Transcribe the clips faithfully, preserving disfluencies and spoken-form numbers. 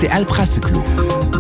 R T L Presseclub.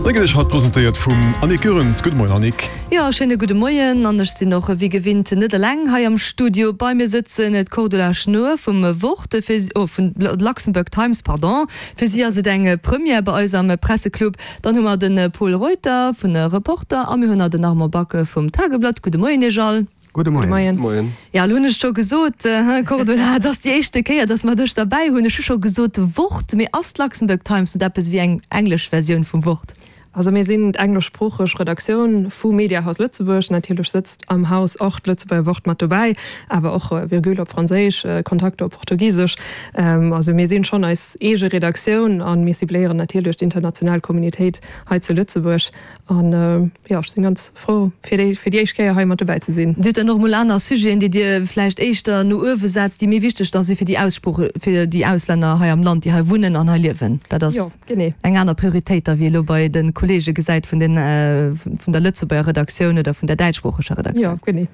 Dee gëtt iech haut presentéiert vum Annick Goerens. Gudde Moien Annick. Jo, schéine gudde Moien. An ech sinn och wéi gewinnt net eleng hei am Studio. Bei mir sëtzen d'Cordula Schnoor vum Wort, fir, oh, vun Luxembourg Times, pardon. Fir si ass et eng Première bei eis am Presseclub. Dann hu mer de Pol Reuter vun Reporter a mir hunn nach den Armand Back vum Tageblatt. Gudde Moien iech all. Gudde Moien. Moien. Moien. Ja, elo hunn ech scho gesot, Cordula, et ass déi éischte Kéier, datt mer dech derbäi hunn. Ech hu scho gesot Wort, mee ass d'Luxembourg Times net eppes wéi eng englesch Versioun vum Wort? Also mir sinn d'engleschsproocheg Redaktioun vu Mediahaus Lëtzebuerg. Natierlech sëtzt am Haus och d'Lëtzebuerger Wort mat dobäi, awer och Virgule op Franséisch, Contacto op Portugisesch. Also mir sinn schonn eis eege Redaktioun a mir cibléieren natierlech d'international Communitéit hei zu Lëtzebuerg. An jo, ech sinn ganz frou fir déi fir déi éischt Kéier hei mat dobäi ze sinn. Dir hutt dann och emol aner Sujeten, déi Dir vläicht éischter no uewe setzt, déi méi wichteg da si fir déi Aussprooch, fir déi Auslänner hei am Land, déi hei wunnen an hei liewen. Dat ass Jo, genee. eng aner Prioritéit da wéi elo bei de Kollege gesäit vun den, vun der Lëtzebuerger Redaktioun oder vun der däitschsproocheger Redaktioun. Jo, genee.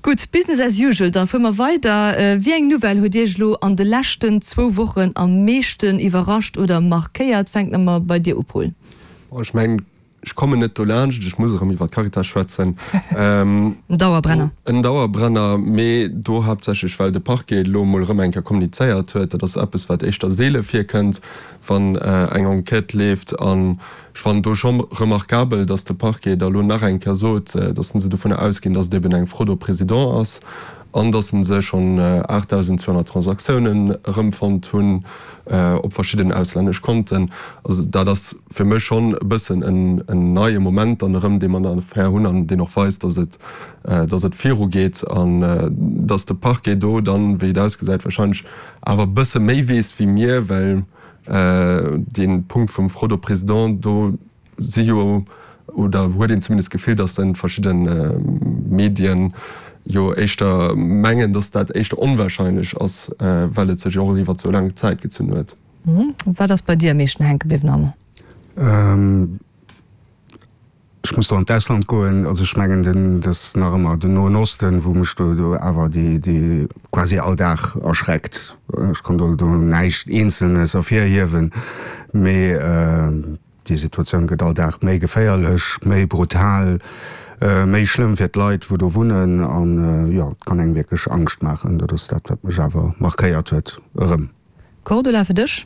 Gutt, Business as usual, da fuere mer weider. Wéi eng Nouvelle huet Iech elo an de leschten zwou Wochen am meeschten iwwerrascht oder markéiert? Fänke mer bei dir u, Paul. Ech mengen, ech kommen net dolaanscht, ech muss erëm iwwer d'Caritas schwätzen. En Dauerbrenner. En Dauerbrenner, mee do haaptsächlech, well de Parquet elo emol erëm eng Kéier kommunizéiert huet. Dat ass eppes, wat éischter seele virkënnt, wann eng Enquête leeft. An ech fannen do scho remarkabel, datt de Parquet da elo nach eng Kéier sot, datt se dovunner ausginn, datt et eben eng Fraude au président ass an datt se schonn aachtdausendzweehonnert Transaktiounen erëmfonnt hunn op verschidden auslännesch Konten. Also dat ass fir mech schonn e bëssen en neie Moment dann erëm, dee mer an der Affär hunn an deen och weist, datt et, datt et virugeet an datt de Parquet do dann, wéi et ausgesäit, wahrscheinlech awer e bësse méi weess wéi mir, well dee Punkt vum Fraude au président, do si jo, oder huet een zumindest d'Gefill, datt en verschidde Medien jo éischter mengen, datt dat éischter onwahrscheinlech ass, well et sech jo och iwwer esou laang Zäit gezunn huet. Wat ass bei dir am meeschten hänke bliwwen, Armand? Ech muss do an d'Ausland goen. Also ech mengen, den, dat ass nach ëmmer den Noen Osten, wou mech do, do awer déi, déi quasi all Dag erschreckt. Ech kann do, do näischt Eenzelnes ervirhiewen, mee déi Situatioun gëtt all Dag méi geféierlech, méi brutal, méi schlëmm fir d'Leit, wou do wunnen an, jo, et kann engem wierklech Angscht maachen. Dat ass dat, wat mech awer markéiert huet erëm. Cordula, fir dech?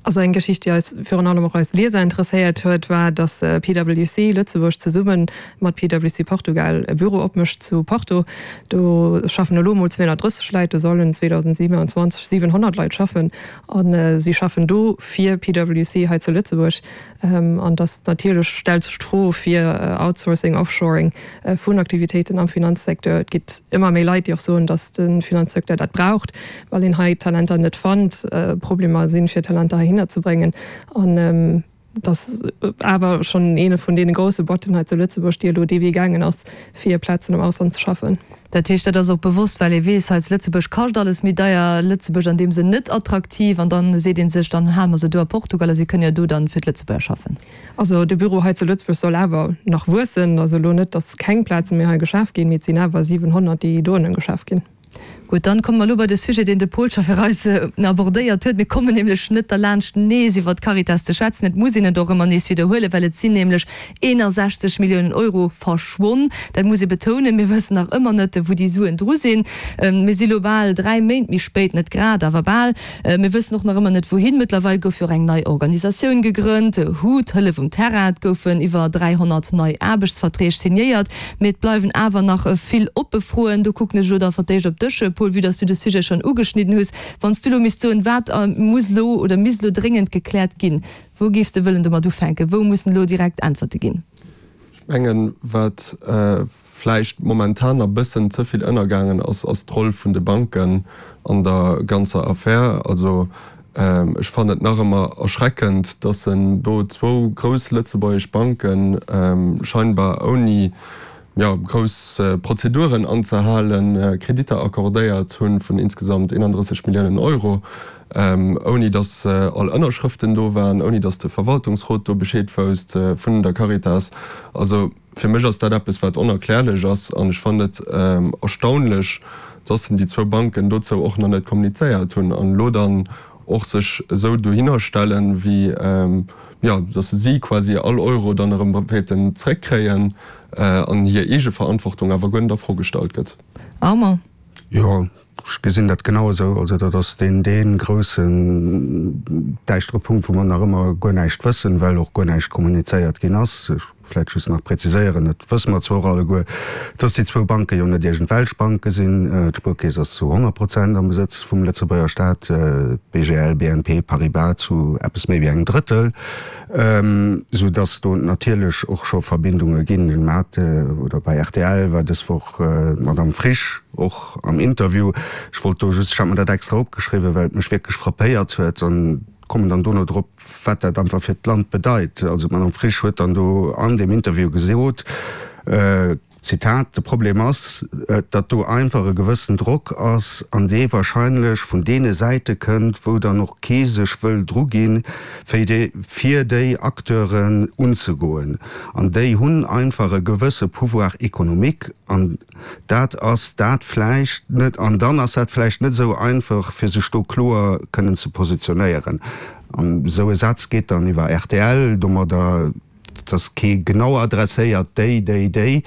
Also eng Geschicht, déi eis, virun allem och eis Lieser interesséiert huet, war, dass P W C Lëtzebuerg zesumme mat P W C Portugal e Büro opmécht zu Porto. Do schaffen elo mol zweehonnertdrësseg Leit, do sollen zweedausendsiwenanzwanzeg siwenhonnert Leit schaffen. A si schaffen do fir P W C hei zu Lëtzebuerg. An dass natierlech stellt sech d'Fro fir Outsourcing, Offshoring vun Aktivitéiten am Finanzsecteur. Et gitt ëmmer méi Leit, déi och soen, dass de Finanzsecteur dat braucht, well een hei Talenter net fannt, Problemer sinn, fir Talenter heihinner ze bréngen. An dass awer schonn eene vun deene grousse Boîten hei zu Lëtzebuerg, déi elo dee Wee gaangen ass, fir Plazen am Ausland ze schaffen. Dat heescht, dat ass och bewosst, well ee weess, hei zu Lëtzebuerg kascht alles méi deier, Lëtzebuerg an deem Sënn net attraktiv an dann seet ee sech, dann hale mer se do a Portugal a si kënnen jo do dann fir d'Lëtzebuerger schaffen. Also de Büro hei zu Lëtzebuerg soll awer nach wuessen. Also elo net, dass keng Plaze méi hei geschaf ginn, mee et sinn awer siwenhonnert, déi dohinne geschaf ginn. Gutt, dann komme mer elo bei de Sujet, deen de Paul scho fir eis abordéiert huet. Mir kommen nämlech net derlaanscht, nees iwwert d'Caritas ze schwätzen. Et muss een et och ëmmer nees widderhuelen, well et sinn nämlech eenasechzeg Milliounen Euro verschwonn. Dat muss ee betounen. Mir wëssen nach ëmmer net, wou déi Suen dru sinn. Mir si lo bal dräi Méint méi spéit, net grad, awer bal. Mir wëssen och nach ëmmer net, wouhin. Mëttlerweil gouf jo och eng nei Organisatioun gegrënnt, HUT, Hëllef um Terrain. Et goufen iwwer dräihonnert nei Aarbechtsverträg signéiert. Mee et bleiwen awer nach vill oppe Froen. Do kucken ech elo da fir d'éischt op dech, Paul, vue dass du de Sujet schonn ugeschnidden hues. Wann s du elo misst soen, wat muss elo oder misst elo dréngend gekläert ginn, wou géifs de wëllen domat ufänken? Wou mussen elo direkt Äntwerte ginn? Ech mengen, wat vläicht momentan nach e bëssen ze vill ënnergaangen ass, ass d'Roll vun de Banken an der ganzer Affär. Also ech fannen et nach ëmmer erschreckend, dass en do zwou grouss lëtzebuergesch Banken scheinbar ouni, jo, grouss Prozeduren anzehalen, Kreditter accordéiert hu vun insgesamt eenandrësseg Milliounen Euro, ouni datt all Ënnerschrëften do waren, ouni datt de Verwaltungsrot do Bescheed wousst vun der Caritas. Also fir mech ass dat eppes, wat onerklärlech ass an ech fannen et erstaunlech, datt déi zwou Banken dozou och nach net kommunizéiert hunn an elo dann och sech esou dohinner stellen, wéi, jo, dass si quasi all Euro dann erëm wäerten zréckkréien an hir eege Verantwortung awer guer net a Fro gestallt gëtt. Armand. Jo, ech gesinn dat genau esou. Also dat ass deen, dee groussen däischtere Punkt, wou mer nach ëmmer guer näischt wëssen, well och guer näischt kommunizéiert ginn ass. Ech vläicht just nach präziséieren, dat wësse mer zwar och alleguer, dass déi zwou Banke jo net iergendwelch Banke sinn. D'Spuerkeess ass zu honnert Prozent am Besëtz vum Lëtzebuerger Staat, d'BGL, B N P Paribas zu eppes méi wéi engem Drëttel, soudass do natierlech och scho Verbindunge ginn. Mat oder bei R T L war dës Woch d'Madame Frisch och am Interview. Ech wollt do just, ech hat mer dat extra opgeschriwwen, well et mech wierklech frappéiert huet an kommen dann dono drop, wat dat einfach fir d'Land bedeit. Also d'Madame Frisch huet dann do an deem Interview gesot, Zitat, De Problem ass, datt do einfach e gewëssen Drock ass an dee wahrscheinlech vun deene Säite kënnt, wou dann och kee sech wëll druginn, fir déi Acteuren unzegoen. An déi hunn einfach e gewësse Pouvoir économique an dat ass dat vläicht net, an dann ass dat vläicht net esou einfach, fir sech do kloer kënnen ze positionéieren. An esou e Saz geet dann iwwer R T L, domadder et ass kee genau adresséiert, déi, déi, déi.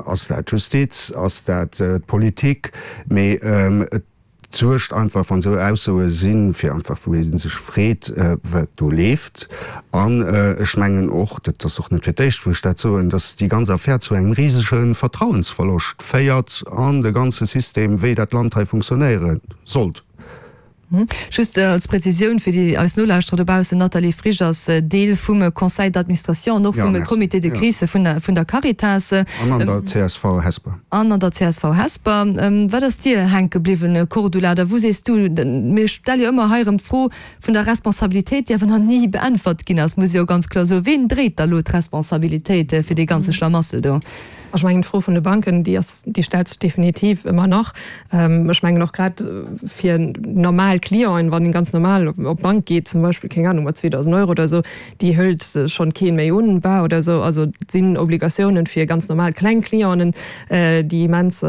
Ass dat d'Justiz, ass dat d'Politik? Mee et suergt einfach, wann esou Aussoe sinn, fir einfach, wou ee sech freet, wat do leeft. An ech mengen och, dat ass och net fir d'éischt, wou ech dat soen, datt déi ganz Affär zu engem risege Vertrauensverloscht féiert an de ganze System, wéi dat Land hei funktionéiere sollt. Just als Präzisioun fir déi eis Nolauschterer dobaussen, D'Nathalie Frisch ass Deel vum Conseil d'administration an och vum Comité de crise vun der vun der Caritas. An an der C S V Hesper. An an der C S V Hesper. Wat ass dir hänke bliwwen, Cordula? Oder wou sees du, mir stelle jo ëmmer hei erëm d'Fro vun der Responsabilitéit, déi awer nach ni beäntwert ginn ass, muss ech jo ganz kloer soen. Ween dréit da lo d'Responsabilitéit fir dee ganze Schlamassel do? Ech mengen, d'Fro vun de Banken, déi ass, déi stellt sech definitiv ëmmer nach. Ech mengen och grad fir normal Clienten, wann een ganz normal op d'Bank geet zum Beispill, keng Ahnung, mat zweedausend Euro oder esou, déi hëlt schonn keen méi un, bar oder esou. Also et sinn Obligatiounen fir ganz normal kleng Clienten, déi immens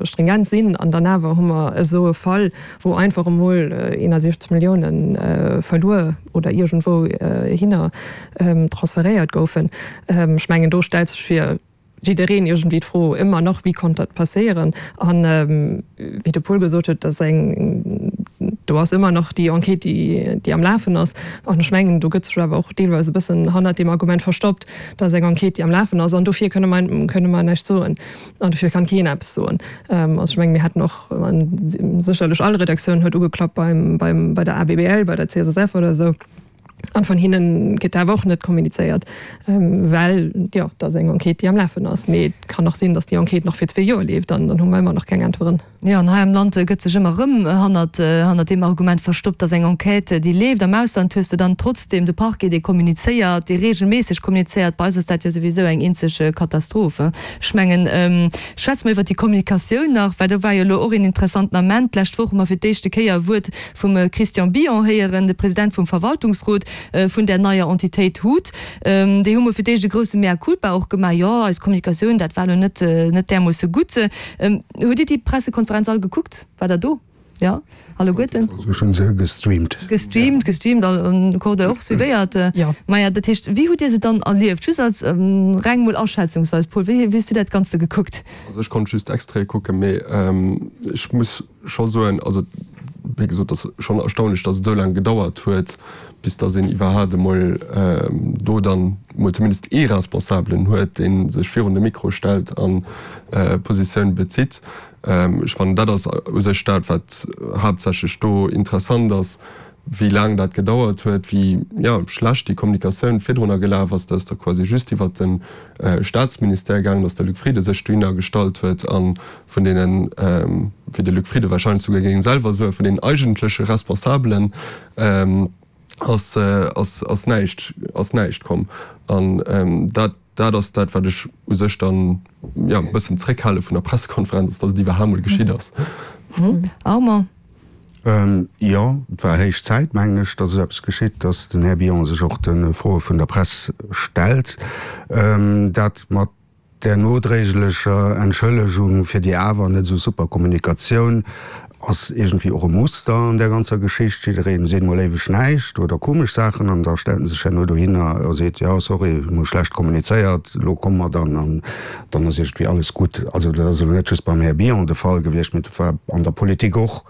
stringent sinn. An dann awer hu mer esou e Fall, wou einfach emol eenasiechzeg Milliounen verluer oder iergendwou hinner transferéiert goufen. Ech mengen, do stellt sech fir jiddereen iergendwéi d'Fro ëmmer nach, Wéi konnt dat passéieren? An wéi de Paul gesot huet, dat ass eng, do ass ëmmer nach déi Enquête, déi, déi am Lafen ass. An ech mengen, do gëtt sech awer och deelweis e bëssen hannert deem Argument verstoppt, dat ass eng Enquête, déi am Lafen ass an dofir kënne mer, kënne mer näischt soen an dofir kann keen eppes soen. Also ech mengen, mir hätten och, sécherlech all Redaktioun huet ugeklappt beim, beim, bei der A B B L, bei der C S S F oder esou. An vun hinnen gëtt awer och net kommunizéiert, well, jo, dat ass eng Enquête, déi am Lafen ass. Mee et kann och sinn, datt déi Enquête nach fir zwee Joer leeft an dann hu mer ëmmer nach keng Äntweren. Jo, an hei am Land gëtt sech ëmmer erëm hannert, hannert deem Argument verstoppt, datt eng Enquête, déi leeft. Am Ausland hues de dann trotzdeem de Parquet, dee kommunizéiert, dee reegelméisseg kommunizéiert. Bei eis ass dat jo souwisou eng eenzeg Katastroph. Ech mengen, schwätze mer iwwert déi Kommunikatioun nach, well do war jo elo och een interessanten Ament. D'lescht Woch hu mer fir d'éischte Kéier e Wuert vum Christian Billon héieren, de President vum Verwaltungsrot vun där neier Entitéit hut. Déi hu mol fir d'éischt e grousse Mea culpa och gemaach, Jo, eis Kommunikatioun, dat war elo net, net därmoosse gutt. Hutt Dir déi Pressekonferenz all gekuckt? Waart Der do? Jo, alleguerten? Also ech hunn se gestreamt. Gestreamt, gestreamt, an Cordula och suivéiert? Jo. Maja, dat heescht, wéi hutt Dir se dann erlieft? Just als reng mol aschätzungsweis, Paul, wéi, wéi hues du dat Ganze gekuckt? Also ech konnt just Extraite kucken, mee ech muss scho soen, also wéi gesot, et ass schonn erstaunlech, datt et esou laang gedauert huet, bis datt een iwwerhaapt emol do dann emol zumindest ee Responsabelen huet, dee sech virun de Mikro stellt a Positioun bezitt. Ech fannen, dat ass u sech dat, wat haaptsächlech do interessant ass, wéi laang dat gedauert huet, wéi, jo, schlecht déi Kommunikatioun virdrunner gelaf ass. Dat ass da quasi just iwwert de Staatsministère gaangen, datt de Luc Frieden sech dohinner gestallt huet a vun deenen, wéi de Luc Frieden wahrscheinlech souguer géing selwer soen, vun deenen eigentleche Responsabelen ass, ass, ass näischt, ass näischt komm. An dat, dat ass dat, wat ech u sech dann, jo, e bëssen zréckhale vun der Pressekonferenz, ass, datt et iwwerhaapt mol geschitt ass. Armand. Jo, et war héich Zäit, mengen ech, datt esou eppes geschitt, datt den Här Billon sech och de Froe vun der Press stellt. Dat mat där nodréiglecher Entschëllegung fir déi awer net esou super Kommunikatioun ass iergendwéi och e Muster an där ganzer Geschicht, jiddereen seet mol éiweg näischt oder komesch Saachen an da stellt en sech herno dohinner a seet, jo sorry, mir hu schlecht kommunizéiert, elo komme mer dann an dann ass iergendwéi alles gutt. Also dat ass elo net just beim Här Bion de Fall gewiescht, mee dat war an der Politik och,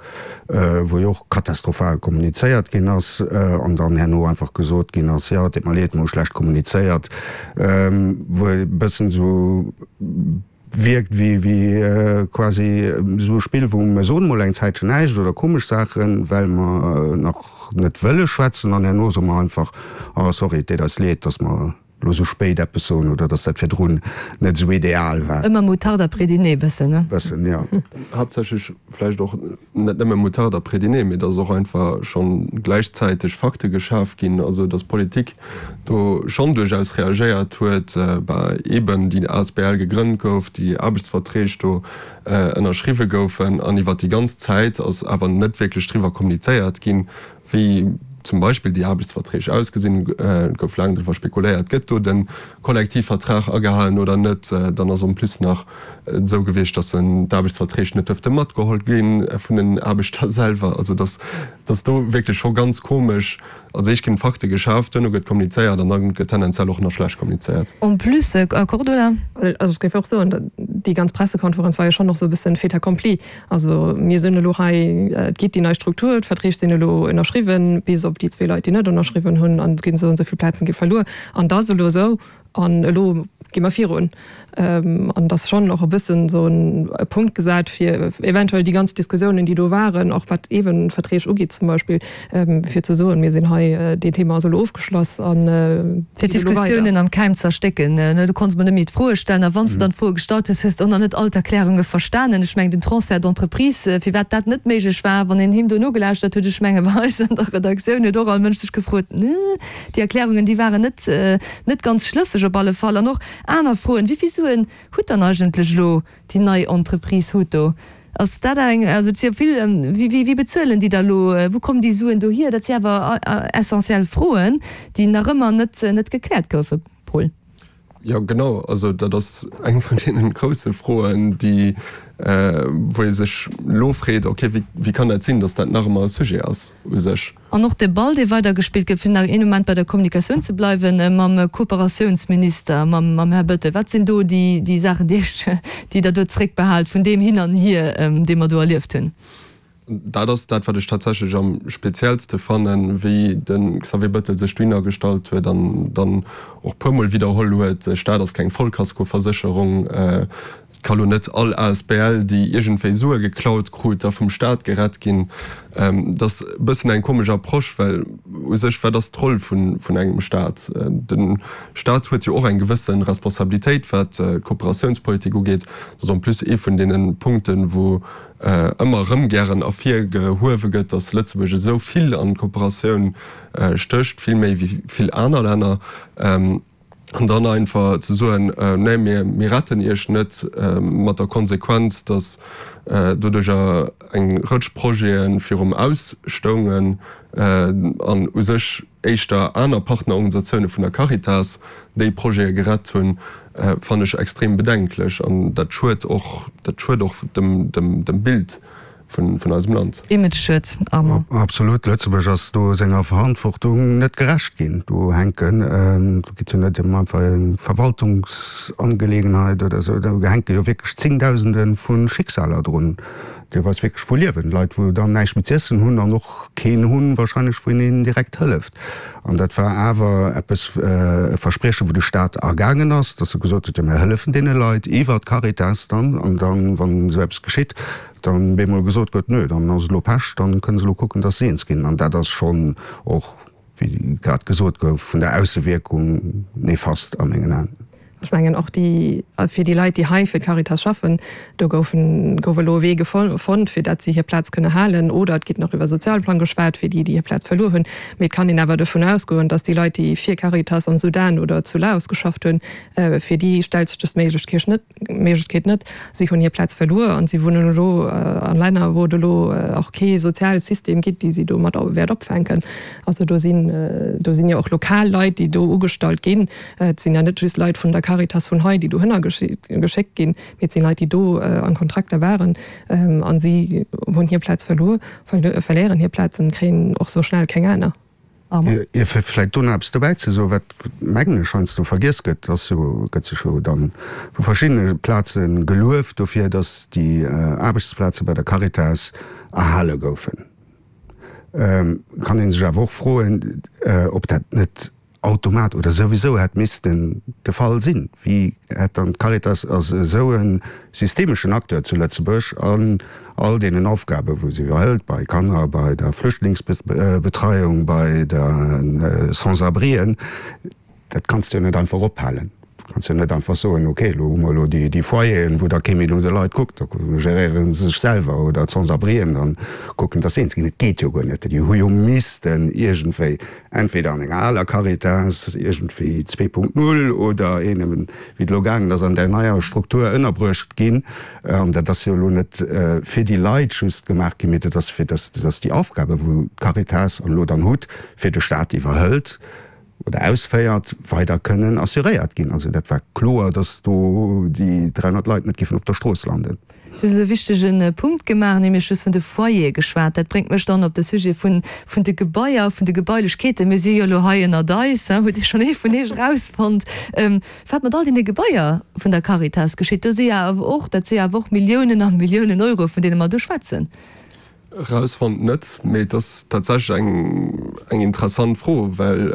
wou jo och katastrophal kommunizéiert ginn ass an dann herno einfach gesot ginn ass, jo et deet mer leed, mir hu schlecht kommunizéiert, wou e bëssen esou wierkt wéi wéi quasi esou e Spill, wou mer soen emol eng Zäitchen näischt oder komesch Saachen, well mer nach net wëlle schwätzen an herno soe mer einfach, oh sorry, et deet eis leed, datt mer elo esou spéit eppes soen oder datt dat virdrun net esou ideal war. Ëmmer Moutarde après dîner bëssen, ne? Bëssen, jo. Haaptsächlech vläicht och net nëmme Moutarde après dîner, mee datt och einfach scho gläichzäiteg Fakte geschaf ginn, also datt d'Politik do schonn duerchaus reagéiert huet, bah eben déi asbl gegrënnt gouf, déi Aarbechtsverträg do ënnerschriwwe goufen an iwwert déi ganz Zäit ass awer net wierklech driwwer kommunizéiert ginn, wéi zum Beispill déi Aarbechtsverträg ausgesinn. Et gouf laang driwwer spekuléiert, gëtt do de Kollektivvertrag agehalen oder net. Dann ass en plus nach et esou gewiescht, datt d'Aarbechtsverträg net duerfte matgeholl gi vun den Aarbechter selwer. Also datt do wierklech scho ganz komesch, als éischt ginn d'Fakte geschaaft, duerno gëtt kommunizéiert an da gëtt tendenziell och nach schlecht kommunizéiert. En plus, Cordula? Also ech géif och soen, déi ganz Pressekonferenz war jo schonn och esou e bëssen fait accompli. Also mir sinn elo hei, et gétt déi nei Struktur, d'Verträg sinn elo ënnerschriwwen, bis op déi zwee Leit, déi net ënnerschriwwen hunn, an et ginn esou an esou vill Plazen gi verluer an et ass elo esou an elo gi mer virun. An et ass schonn och e bëssen esou e Punkt gesat, fir eventuell déi ganz Diskussiounen, déi do waren, och wat eeben d'Verträg ugeet zum Beispill, fir ze soen, mir sinn hei, deen Thema ass elo ofgeschloss a Fir geet elo weider. d'Diskussiounen am Keim ze erstécken. Du konns mol net méi d'Froe stellen a wann s de dann d'Froe gestallt hues, hues de och nach net all d'Erklärunge verstanen. Ech mengen, den Transfert d'entreprise, firwat dat net méiglech war, wann een him do nogelauschtert huet, ech menge bei eis an der Redaktioun huet och all Mënsch sech gefrot, déi Erklärungen, déi waren net, net ganz schlësseg op alle Fall. An och aner Froen, Wéi vill Suen hutt dann eigentlech elo déi nei Entreprise Huto? Ass dat eng, also et si jo vill, wéi, wéi bezuelen déi da elo, wou kommen déi Suen dohier? Dat si awer essentiell Froen, déi nach ëmmer net, net gekläert goufen, Paul. Jo, genau. Also dat ass eng vun deene grousse Froen, déi, wou ee sech elo freet, okay, wéi, wéi kann dat sinn, datt dat nach ëmmer e Sujet ass u sech? An och de Ball, dee weidergespillt gëtt, fir nach een Moment bei der Kommunikatioun ze bleiwen, mam Kooperatiounsminister, mam, mam Här Bettel. Wat sinn do déi, déi Saachen, déi Iech, déi Der do zréckbehaalt vun deem Hin an Hier, dee mer do erlieft hunn? Dat ass dat, wat ech tatsächlech am speziellste fannen, wéi de Xavier Bettel sech dohinner gestallt huet an dann och puermol widderholl huet, de Staat ass keng Vollkaskoversécherung. Et ka lo net all asbl, déi iergendwéi Sue geklaut krut, da vum Staat gerett ginn. Dat ass e bëssen eng komesch Approche, well u sech, wat ass d'Roll vun engem Staat? De Staat huet jo och eng gewësse Responsabilitéit, wat d'Kooperatiounspolitik ugeet. Dat ass en plus ee vun deene Punkten, wou ëmmer erëm gären ervirgehuewe gëtt, datt Lëtzebuerg esou vill an d'Kooperatioun stécht, vill méi wéi vill aner Länner. An dann einfach ze soen, Nee, mir retten Iech net, mat der Konsequenz, datt doduercher eng Rëtsch Projete virum Aus stoungen an u sech éischter aner Partnerorganisatioune vun der Caritas déi Projete gerett hunn, fannen ech extrem bedenklech. An dat schued och, dat schued och dem, dem Bild vun, vun eisem Land. Image-Schued, Armand. Absolut, Lëtzebuerg ass do senger Verantwortung net gerecht ginn. Do hänken, do geet jo net ëm einfach eng Verwaltungsangelegenheit oder esou, do hänke jo wierklech Zéngdausende vu Schicksaler drun, deelweis wierklech vu Liewen, Leit, wou dann näischt méi z'iessen hunn an och keen hunn wahrscheinlech, wou een hinnen direkt hëlleft. An dat war awer eppes, e Verspriechen, wou de Staat agaangen ass, dass e gesot huet, jo mir hëllefen deene Leit iwwer d'Caritas dann, an dann, wann esou eppes geschitt, dann bemol gesot gëtt, nö, dann ass et elo Pech, dann kënne se elo kucken, dass se eens ginn. An dat ass schonn och, wéi grad gesot gouf, vun der Aussewierkung nefast a mengen Aen. Ech mengen och déi, fir déi Leit, déi hei fir d'Caritas schaffen, do goufen, gouf elo e Wee fonnt, fir dat si hir Plaz kënne halen. Oder et gétt nach iwwer Sozialplang geschwat fir déi, déi hir Plaz verluer hunn. Mee et kann een awer dovun ausgoen, datt déi Leit, déi fir Caritas am Sudan oder zu Laos geschafft hunn, fir déi stellt sech dës Méiglechkeet net. Méiglechkeet net. Si hunn hir Plaz verluer an si wunnen elo a Länner, wou et elo och kee soziale System gitt, déi si do mat wäert opfänken. Also do sinn, do sinn jo och lokal Leit, déi do ugestallt ginn. Et sinn ja net just Leit vun der Caritas vun hei, déi dohinner geschéckt ginn, mee et sinn Leit, déi do an Kontrakter waren an si hunn hir Plaz verluer, verléieren hir Plaz an kréien och sou schnell keng aner. Jo, fir vläicht do nach eppes dobäi ze soen, wat, mengen ech, heiansdo vergiess gëtt, ass jo, gëtt sech jo dann vu verschiddene Plaze gelueft dofir, datt déi Aarbechtsplaze bei der Caritas erhale goufen. Kann ee sech awer och froen, ob dat net automat oder souwisou hätt missten de Fall sinn. Wéi hätt dann d'Caritas als esou e systemeschen Acteur zu Lëtzebuerg an all deenen Aufgaben, wou se iwwerhëlt, bei Kanner, bei der Flüchtlingsbetreiung, bei de Sans-abrien, dat kanns de jo net einfach ophalen. Du kanns jo net einfach soen, okay, elo hu mer elo déi Foyeren, wou da kee méi no de Leit kuckt, da geréiere se sech selwer, oder d'Sans-abrien dann kucken, dass se eens ginn. Et geet jo guer net. Déi hu jo missten iergendwéi entweder an enger aler Caritas, iergendwéi zwee Punkt null, oder een, wéi et elo gaangen ass, an där neier Struktur ënnerbruecht ginn. An dat ass jo elo net fir déi Leit just gemaach ginn, mee dat ass fir dass déi Aufgabe wou d'Caritas an elo dann hutt, fir de Stat iwwerhëlt, oder ausféiert, weider kënnen assuréiert ginn. Also dat war kloer, datt do déi dräihonnert Leit net géifen op der Strooss landen. Du hues e wichtege Punkt gemaach, nämlech du hues vun de Foyere geschwat. Dat bréngt mech dann op de Sujet vun vun de Gebaier, vun de Gebailechkeeten. Mir si jo elo hei ënnert eis, hutt Dir schonn ee vun Iech erausfonnt, wat mat all deene Gebaier vun der Caritas geschitt? Do si jo awer och, dat si jo awer och Milliounen a Milliounen Euro, vun deene mer do schwätzen. Erausfonnt net, mee et ass tatsächlech eng eng interessant Fro, well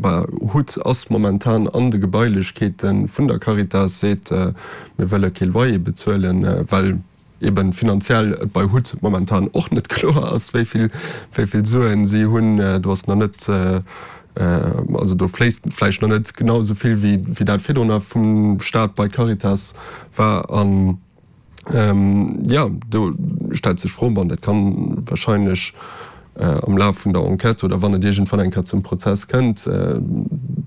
bah, hut ass momentan an de Gebailechkeete vun der Caritas, seet, mir wëlle kee Loyer bezuelen, well eben finanziell et bei hut momentan och net kloer ass, wéi vill wéi vill Suen si hunn. Do ass nach net, also do fléisst vläicht nach net genau esou vill wéi wéi dat virdrun vum Staat bei d'Caritas war. An Jo, do stellt sech d'Fro, bon, dat kann wahrscheinlech am Laf vun der Enquête oder wann et iergendwann eng Kéier zum Prozess kënnt,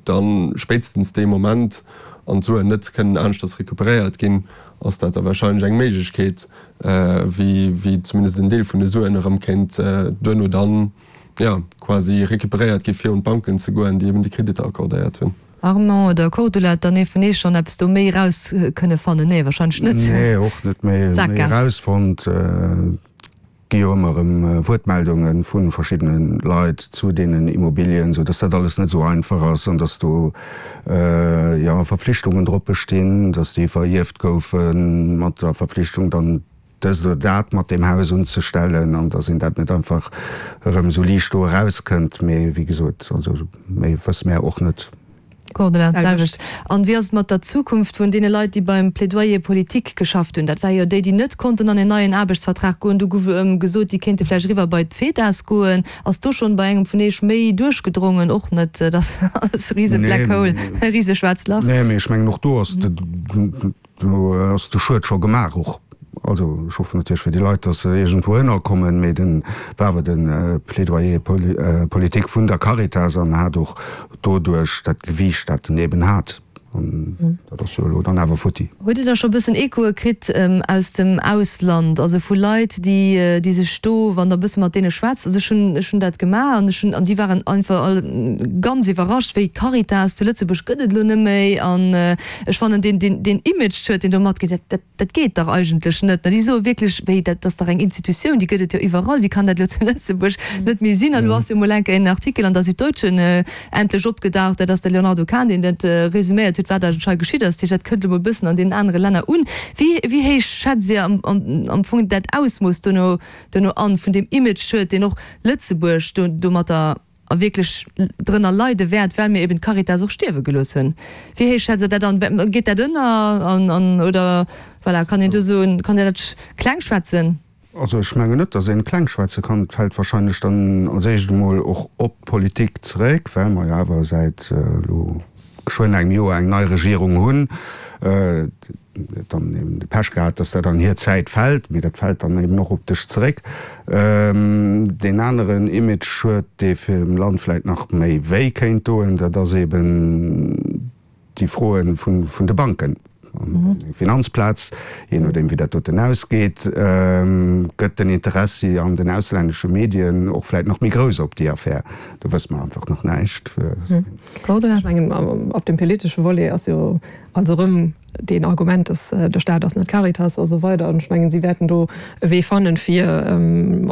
da spéitstens dee Moment an d'Suen net kënnen aneschters recuperéiert ginn, ass dat da wahrscheinlech eng Méiglechkeet, wéi wéi zumindest en Deel vun de Suen erëm kéint duerno dann, jo, quasi recuperéiert gi fir un d'Banken ze goen, déi eben déi Kreditter accordéiert hunn. Armand oder Cordula, huet dann ee vun eech schonn eppes do méi eraus kënne fannen? Nee, wahrscheinlech net. Nee, och net méi erausfonnt. Et gi jo ëmmer erëm Wuertmeldunge vu verschiddene Leit zu deenen Immobilien, sou dass dat alles net esou einfach ass an dass do, jo, Verpflichtungen drop bestinn, dass déi verierft goufe mat der Verpflichtung dann dëst oder dat mat deem Haus unzestellen an dass een dat net einfach erëm esou liicht do erauskënnt. Mee wéi gesot, also méi wësse mär och net. Cordula, d'selwecht. An wéi ass et mat der Zukunft vun deene Leit, déi beim Plaidoyer politique geschafft hunn? Dat war jo déi, déi net konnten an en neien Aarbechtsvertrag goen. Do gouf gesot, déi kéinte vläicht eriwwer bei d'FEDAS goen. Ass do schonn bei engem vun Iech méi duerchgedrongen? Och net, dat ass alles e rise Black Hole, e rise schwaarzt Lach. Nee, mee ech mengen och do ass de, do ass de Schued scho gemaach och. Also ech hoffen natierlech fir déi Leit, datt se iergendwou ënnerkommen, mee den war awer de Plaidoyer politique vun der Caritas an hat och doduerch dat Gewiicht, dat en eben hat. An dat ass jo elo dann awer futti. Hutt Dir da scho e bëssen Echoe kritt aus dem Ausland, also vu Leit, déi déi sech do, wann Der e bësse mat deene schwätzt, also ech hunn ech hunn dat gemaach an ech hunn an déi waren einfach all ganz iwwerrascht, wéi d'Caritas zu Lëtzebuerg gëtt et elo net méi an ech fannen deen deen deen Image huet, deen do matgeet, dat dat Dat geet dach eigentlech net. Déi soe wierklech, Wéi, dat ass dach eng Institutioun, déi gëtt et jo iwwerall, wéi kann dat elo zu Lëtzebuerg net méi sinn? An elo ass jo emol enk en Artikel an der Süddeutschen endlech opgedaucht, dat ass de Léonardo Kahn, deen dat resuméiert huet, wat eigentlech hei geschitt ass. Dat heescht, dat kënnt elo mol e bëssen an deenen anere Länner un. Wéi, wéi héich schätzt Dir am, am Fong dat Ausmooss dono, dono an, vun deem Imageschued, deen och Lëtzebuerg do, domatter a wierklech drënner leide wäert, well mir eben d'Caritas och stierwe gelooss hunn. Wéi héich schätzt Der dat an? Geet dat ënner an, an, oder voilà, kann een do soen, kann een dat kleng schwätzen? Also ech mengen net, datt een kleng schwätze kann. Et fält wahrscheinlech dann als éischt emol och op d'Politik zeréck, well mer jo awer säit elo geschwënn engem Joer eng nei Regierung hunn. Huet dann eben de Pech gehat, dass dat an hir Zäit fält, mee dat fält dann eben och op dech zeréck. Deen aneren Image-Schued, dee fir dem Land vläit nach méi wéi kéint doen, dat ass eben déi Froe vun de Banken. eng Finanzplaz, jee nodeem wéi dat doten ausgeet, gëtt den Interessi an den auslännesche Medien och vläicht nach méi grouss op déi Affär. Do wësse mer einfach nach näischt. Ech mengen, op dem politesche Volet ass jo also erëm deen Argument, dass de Staat ass net d'Caritas a sou weider. An ech mengen, si wäerten do e Wee fannen, fir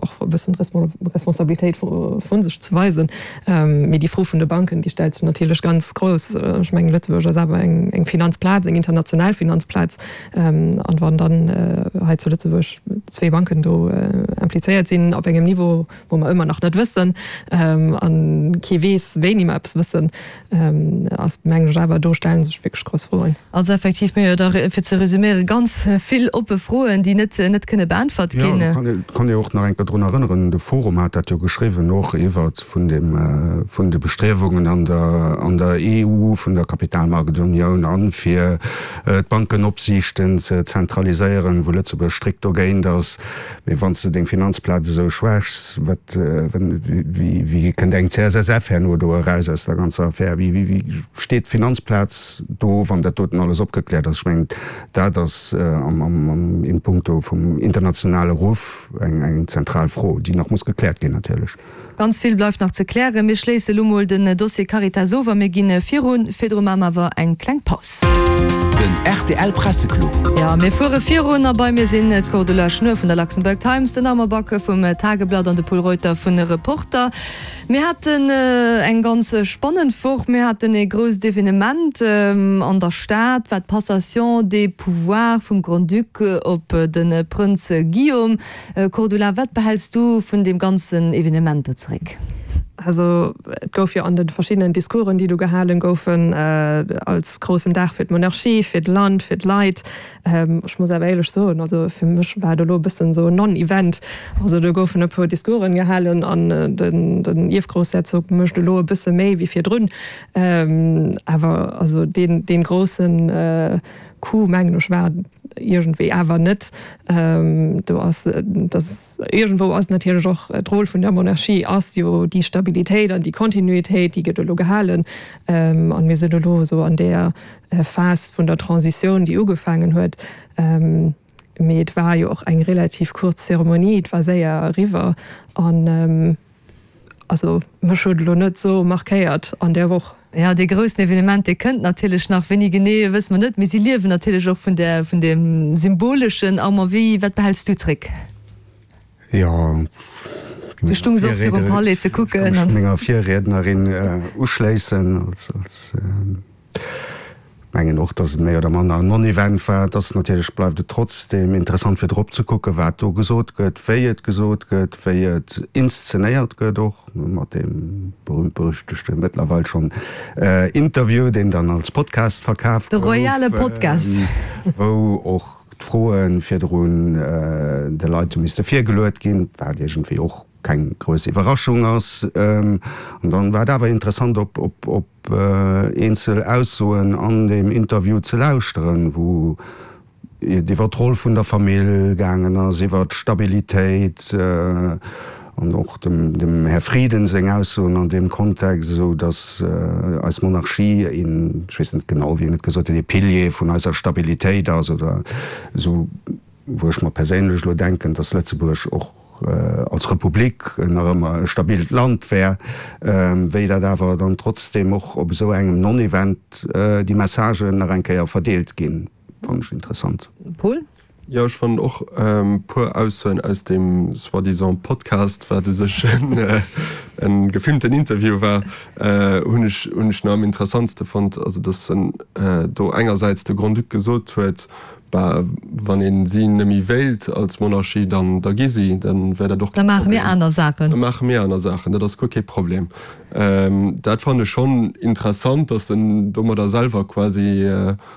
och e bëssen d'Responsabilitéit vu sech ze weisen. Mee déi Fro vun de Banken, déi stellt sech natierlech ganz grouss. Ech mengen, Lëtzebuerg ass awer eng Finanzplaz, eng international Finanzplaz. An wann dann hei zu Lëtzebuerg zwee Banken do implizéiert sinn op engem Niveau, wou mer ëmmer nach net wëssen a kee weess, wéini mer eppes wëssen, ass, mengen ech awer, do stelle sech wierklech grouss Froen. Also effektiv, mir hu jo da, fir ze resüméieren, ganz vill oppe Froen, déi net net kënne beäntwert ginn. Jo, et kann ee och nach eng Kéier drun erënneren, de Forum hat dat jo geschriwwen och iwwert vun dem, vun de Bestriewungen an der, an der E U, vun der Kapitalmarktunioun an fir d'Bankenopsiichten ze zentraliséieren, wou Lëtzebuerg strikt dogéint ass. Mee wann s de deng Finanzplaz esou schwächs, wat, wéi, wéi kënnt eng C S S F herno do eraus aus der ganzer Affär? Wéi, wéi steet d'Finanzplaz do, wann dat doten alles opgekläert ass? Ech mengen, dat ass am, am, am in puncto vum internationale Ruff eng, eng zentral Fro, déi nach muss gekläert ginn natierlech. Ganz vill bleift nach ze klären. Mir schléisse lo mol den Dossier Caritas of a mir gi virun. Virdru maache mer awer eng kleng Paus. Den rtl Presseclub. Jo, mir fuere virun a bei mir sinn d'Cordula Schnuer vun der Luxembourg Times, den Armand Back vum Tageblatt an de Pol Reuter vun Reporter. Mir haten eng ganz spannend Woch. Mir haten ee grousst Evenement an der Stad, war d'Passation des pouvoirs vum Grand-Duc op de Prënz Guillaume. Cordula, wat behäls du vun deem ganzen Evenement do zeréck? Also et gouf jo an de verschiddenen Discoursen, déi do gehalen goufen, als groussen Dag fir d'Monarchie, fir d'Land, fir d'Leit. Ech muss awer éierlech soen, also fir mech war et elo e bëssen esou en Non-Event. Also do goufen e puer Discoursen gehalen an den, den Ierfgroussherzog mécht elo e bësse méi wéi virdrun. Awer also deen, deen groussen Coup, mengen ech, war iergendwéi awer net. Do ass, dass iergendwou ass natierlech och d'Roll vun der Monarchie ass jo déi Stabilitéit an déi Kontinuitéit, déi gëtt elo gehalen. An mir sinn elo esou an där Phas vun der Transitioun, déi ugefaangen huet. Mee et war jo och eng relativ kuerz Zeremonie, et war séier eriwwer. An also mech huet elo net esou markéiert an där Woch. Jo, dee groussen Evenement, dee kënnt natierlech nach. Wéini genee, wësse mer net. Mee si liewen natierlech och vun där, vun deem Symboleschen. Armand, wéi, wat behäls du zréck? Jo, Du stungs och virum Palais ze kucken. Ech ka mech menger Virriednerin uschléissen. Als, als, mengen och, dass et méi oder manner en Non-Event war. Et ass natierlech, bleift et trotzdeem interessant fir drop ze kucken, wat do gesot gëtt, wéi et gesot gëtt, wéi et inszenéiert gëtt och, mat deem berühmt-berüchtegte mëttlerweil schonn Interview, deen dann als Podcast verkaf De gouf, royale Podcast. wou och d'Froe virdrun de Leit hu misste virgeluet ginn, wat iergendwéi och keng grouss Iwwerraschung ass. An dann war et awer interessant op op op eenzel Aussoen an deem Interview ze lauschteren, wou et iwwer d'Roll vun der Famill gaangen ass, iwwer d'Stabilitéit an och dem dem Här Frieden seng Aussoen an deem Kontext, esou datt eis Monarchie een, ech weess net genau wéi en et gesot huet, ee Pilier vun eiser Stabilitéit ass oder esou, wou ech mer perséinlech elo denken, datt Lëtzebuerg och als Republik nach ëmmer e stabilt Land wär, wéi dat awer dann trotzdem och op esou engem Non-Event déi Messagen nach eng Kéier verdeelt ginn, fannen ech interessant. Paul? Jo, ech fannen och e puer Aussoen aus deem soi-disant Podcast, wat u sech e gefilmten Interview war, hunn ech hunn ech nach am interessantste fonnt. Also datt en do engersäits de Grand-Duc gesot huet, Bah, wann een si nëmme wéilt als Monarchie, dann da gi si, dann wär dat och Da kee maache mir Problem. aner Saachen. Da maache mir aner Saachen, dat ass guer kee Problem. Dat fannen ech schonn interessant, datt en domadder selwer quasi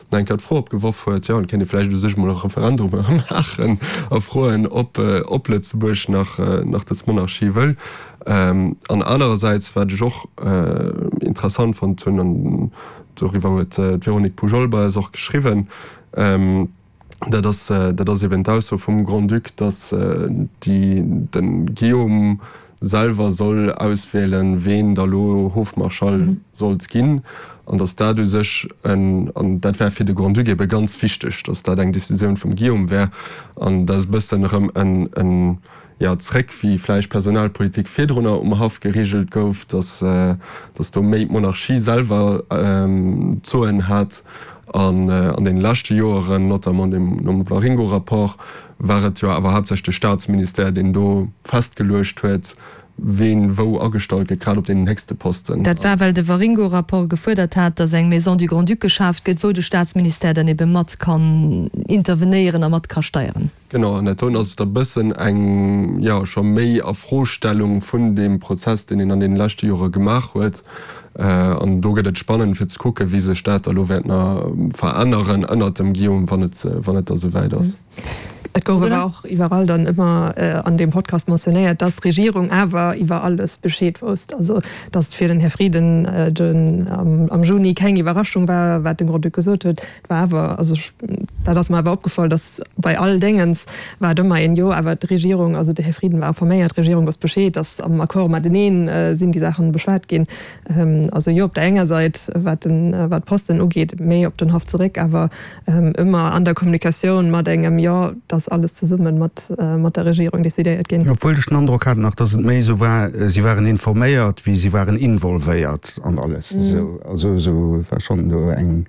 nach eng Kéier d'Fro opgeworf huet, jo, et kéint ee vläicht u sech emol e Referendum maachen a froen, ob ob Lëtzebuerg nach nach dës Monarchie wëll. An anerersäits, wat ech och interessant fonnt hunn, an doriwwer huet d'Véronique Poujol bei eis och geschriwwen, Dat ass, dat ass eben d'Ausso vum Grand-Duc, datt déi, de Guillaume selwer soll auswählen, ween da lo Hofmarschall sollt ginn, an datt dat u sech en, an dat wär fir de Grand-Duc ebe ganz wichteg, datt dat eng Decisioun vum Guillaume wär, an dat ass e bëssen erëm en, en, jo, zréck wéi vläicht Personalpolitik virdrunner um Haff geregelt gouf, datt, datt do méi d'Monarchie selwer d'Soen hat. An an deene leschte Joeren, notamment nom Waringo-Rapport, war et jo awer haaptsächlech de Staatsministère, deen do festgeluecht huet, ween wou agestallt gëtt, grad op deenen héchste Posten. Dat war, well de Waringo-Rapport gefuerdert hat, datt eng Maison du Grand-Duc geschaaft gëtt, wou de Staatsministère dann ebe mat kann intervenéieren a mat ka steieren. Genau, an dat doen ass et e bëssen eng, jo, scho méi Afrostellung vun deem Prozess, deen een an deene leschte Jore gemaach huet. An do gëtt et spannend, fir ze kucken, wéi sech dat da lo wäert nach veränneren ënnert dem Guillaume, wann et, wann et da souwäit ass. Et gouf awer och iwwerall dann ëmmer an deem Podcast mentionnéiert, dass d'Regierung awer iwwer alles Bescheed wousst. Also dass et fir den Här Frieden den am Juni keng Iwwerraschung war, wat den Grand-Duc gesot huet. Et war awer, also ech, dat ass mer awer opgefall, dass bei all Déngens war et ëmmer een, jo awer d'Regierung, also de Här Frieden war informéiert, d'Regierung wosst Bescheed, dass am Accord mateneen sinn déi Saachen beschwat ginn. Also jo, op der enger Sait, wat den, wat d'Posten ugeet, méi op den Haff zeréck, awer ëmmer an der Kommunikatioun mat engem Jo, dass alles zesumme mat, mat der Regierung decidéiert ginn. Obwuel ech den Androck hat nach, dass et méi esou war, si waren informéiert wéi si waren involvéiert an alles. Esou, also esou war schonn do eng,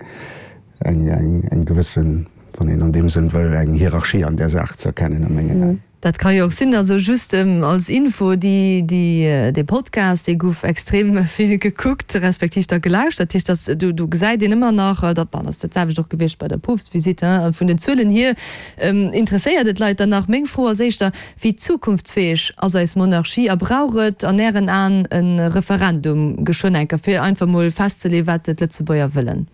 eng, eng, eng gewëssen, wann een an deem Sënn wëll, eng Hierarchie an där Saach ze erkennen a mengen Aen. Dat ka jo och sinn. Also just als Info, déi, déi, dee Podcast, dee gouf extrem vill gekuckt, respektiv da gelauschtert. Dat heescht, dass do, do gesäit een ëmmer nach, dat, bon, ass dat selwecht och gewiescht bei der Poopstvisite, hein, vun den Zuelen hier interesséiert et d'Leit dann nach. Meng Fro ass éischter, Wéi zukunftsfäeg ass eis Monarchie a brauch et an Ären Aen e Referendum geschwënn enker, fir einfach mol festzeleeën, wat d'Lëtzebuerger wëllen?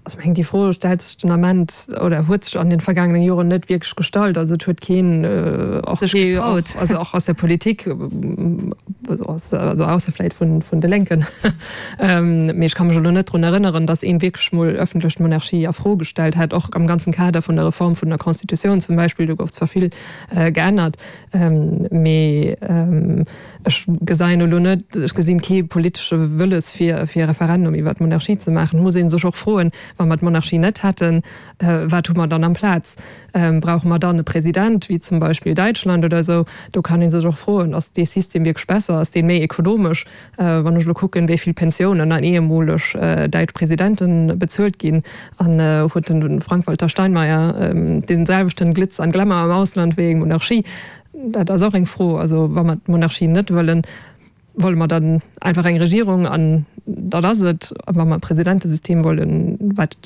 Also ech mengen, déi Fro stellt sech den Ament oder huet sech an den vergaangenen Joren net wierklech gestallt. Also et huet keen, och kee, also och aus der Politik, also aus, also ausser vläit vun, vun de Lénken, mee ech ka mech elo net drun erënneren, datt een wierklech mol ëffentlech d'Monarchie a Fro gestallt hätt, och am ganzen Kader vun der Reform vun der Constitutioun zum Beispill, do gouf zwar vill geännert, mee ech geseien elo net, ech gesinn kee politesche Wëlles fir, fir e Referendum iwwert d'Monarchie ze maachen. Et muss ee sech och froen, wa mer d'Monarchie net hätten, wat hu mer dann amplaz? Brauche mer dann e President, wéi zum Beispill Däitschland oder esou? Do kann ee sech och froen, ass dee System wierklech besser, ass dee méi ekonomesch? Wann ech elo kucken, wéi vill Pensiounen an ehemoleg däitsch Presidente bezuelt ginn, an huet den Frank-Walter Steinmeier dee selwechten Glitz an Glamour am Ausland wéi eng Monarchie? Dat ass och eng Fro. Also wa mer d'Monarchie net wëllen, wolle mer dann einfach eng Regierung an dat ass et? A wa mer e Presidentesystem wollen, wat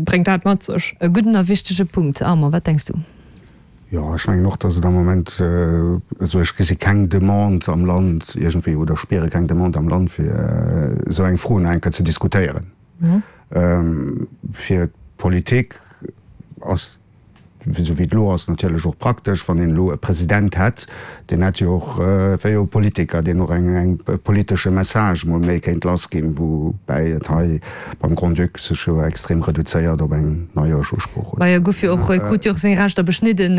bréngt dat mat sech? E gudden a wichtege Punkt. Armand, wat denks du? Jo, ech mengen och, datt et am Moment, also ech gesi keng Demande am Land iergendwéi oder spiere keng Demande am Land, fir esou eng Fro nach eng Kéier ze diskutéieren. Fir d'Politik ass esou wéi et elo ass, natierlech och praktesch, wann een elo e President hätt, deen hätt jo och, wär jo e Politiker, deen och eng, eng politesche Message mol méi kéint lassginn, woubäi et hei beim Grand-Duc sech jo extrem reduzéiert op eng Neijoerschusprooch, oder? Majo, gouf jo och, krut jo och seng Rechter beschnidden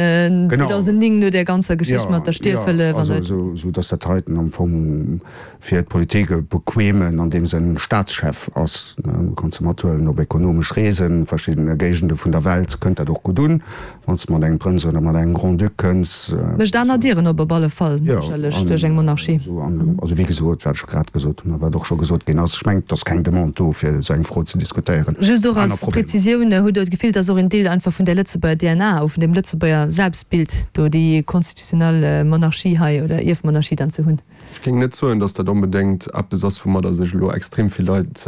zweedausendnéng no där ganzer Geschicht mat der Stierfhëllef an. Jo, also esou datt dat heiten am Fong fir d'Politik e bequemen, an deem Sënn, Staatschef ass. Du kanns e mathuelen op ekonomesch Reesen, verschiddene Géigende vun der Welt kënnt dat och gutt un, wann s de mat engem Prënz oder mat engem Grand-Duc kënns. Mécht aner Dieren op, op alle Fall, sécherlech duerch eng Monarchie. Jo, an also wéi gesot, wat ech grad gesot hunn a wat och scho gesot ginn ass, ech mengen, et ass keng Demande do, fir esou eng Fro ze diskutéieren. Just och als Präzisioun, Hutt Der d'Gefill, dass och en Deel einfach vun där Lëtzebuerger D N A, vun deem Lëtzebuerger Selbstbild do déi konstitutionell Monarchie hei oder Ierfmonarchie dann ze hunn? Ech géing net soen, datt dat onbedéngt eppes ass, woumadder sech elo extrem vill Leit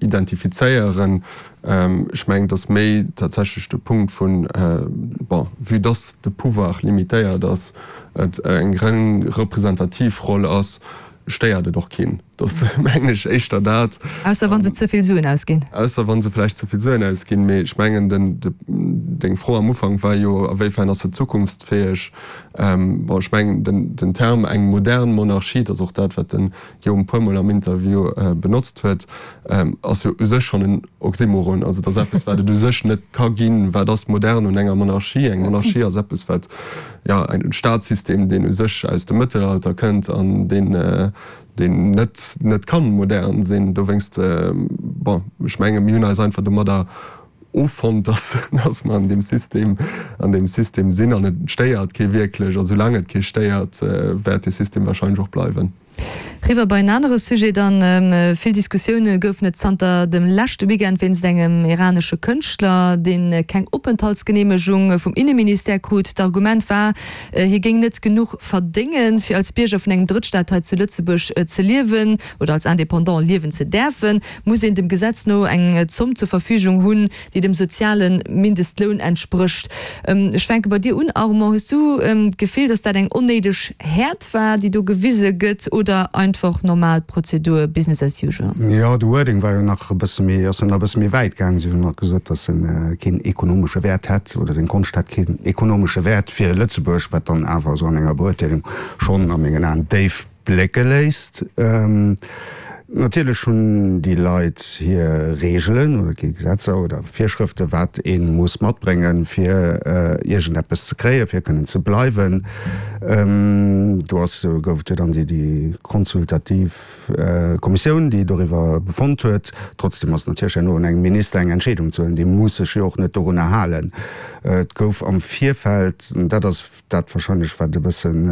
identifizéieren. Ech mengen, et ass méi tatsächlech de Punkt vun, bon, vue dass de Pouvoir limitéiert ass, et eng reng representativ Roll ass, stéiert et och keen. Dat ass, mengen ech, éischter dat. Ausser wa se ze vill Suen ausginn. Ausser wa se vläicht ze vill Suen ausginn. Mee ech mengen, den, deng Fro am Ufank war jo, a wéifern ass se zukunftsfäeg? Bon, ech mengen, den, den Term eng modern Monarchie, dat ass och dat, wat den Guillaume e puermol am Interview benotzt huet, ass jo u sech schonn en Oxymoron. Also dat ass eppes, wat et u sech net ka ginn. Wat ass modern un enger Monarchie? Eng Monarchie ass eppes, wat, jo, en Staatssystem, deen u sech aus dem Mëttelalter kënnt an deen, deen net net kann modern sinn. Dowéinst, bon, ech menge mir hunn eis einfach domadder offonnt, dass dass mer an deem System an deem System sinn an et stéiert kee wierklech. A soulaang et kee stéiert, wäert dee System wahrscheinlech och bleiwen. Riwwer bei en anere Sujet dann. Vill Diskussioune goufen et zanter dem leschte Weekend wéinst engem iranesche Kënschtler, dee keng Openthaltsgeneemegung vum Inneministère krut. D'Argument war, hie géing net genuch verdéngen, fir als Bierger vun engem Drëttstaat hei zu Lëtzebuerg ze liewen oder als Indépendant liewen ze däerfen, muss een dem Gesetz no eng Zomm zur Verfügung hunn, déi dem soziale Mindestloun entsprécht. Ech fänke bei dir un, Armand. Hues du d'Gefill, datt dat eng onnéideg Häert war, déi do gewise gëtt, oder einfach normal Prozedur, business as usual? Jo, de Wording war jo nach e bësse méi, ass jo nach e bësse méi wäit gaang. Si hunn nach gesot, datt en keen ekonomesche Wäert hätt oder seng Konscht hätt keen ekonomesche Wäert fir Lëtzebuerg, wat dann awer esou an enger Beurteelung schonn a mengen Aen déif blécke léisst. Natierlech hunn déi Leit hir Reegelen oder et gi Gesetzer oder Virschrëfte wat ee muss matbréngen, fir iergendeppes ze kréien, fir kënnen ze bleiwen. Do ass, gouf et jo dann déi déi konsultativ Kommissioun, déi doriwwer befonnt huet. Trotzdem ass et natierlech herno un engem Minister eng Entscheedung ze huelen. Dee muss sech jo och net dorunner halen. Et gouf am Virfeld, an dat ass dat wahrscheinlech wat e bëssen,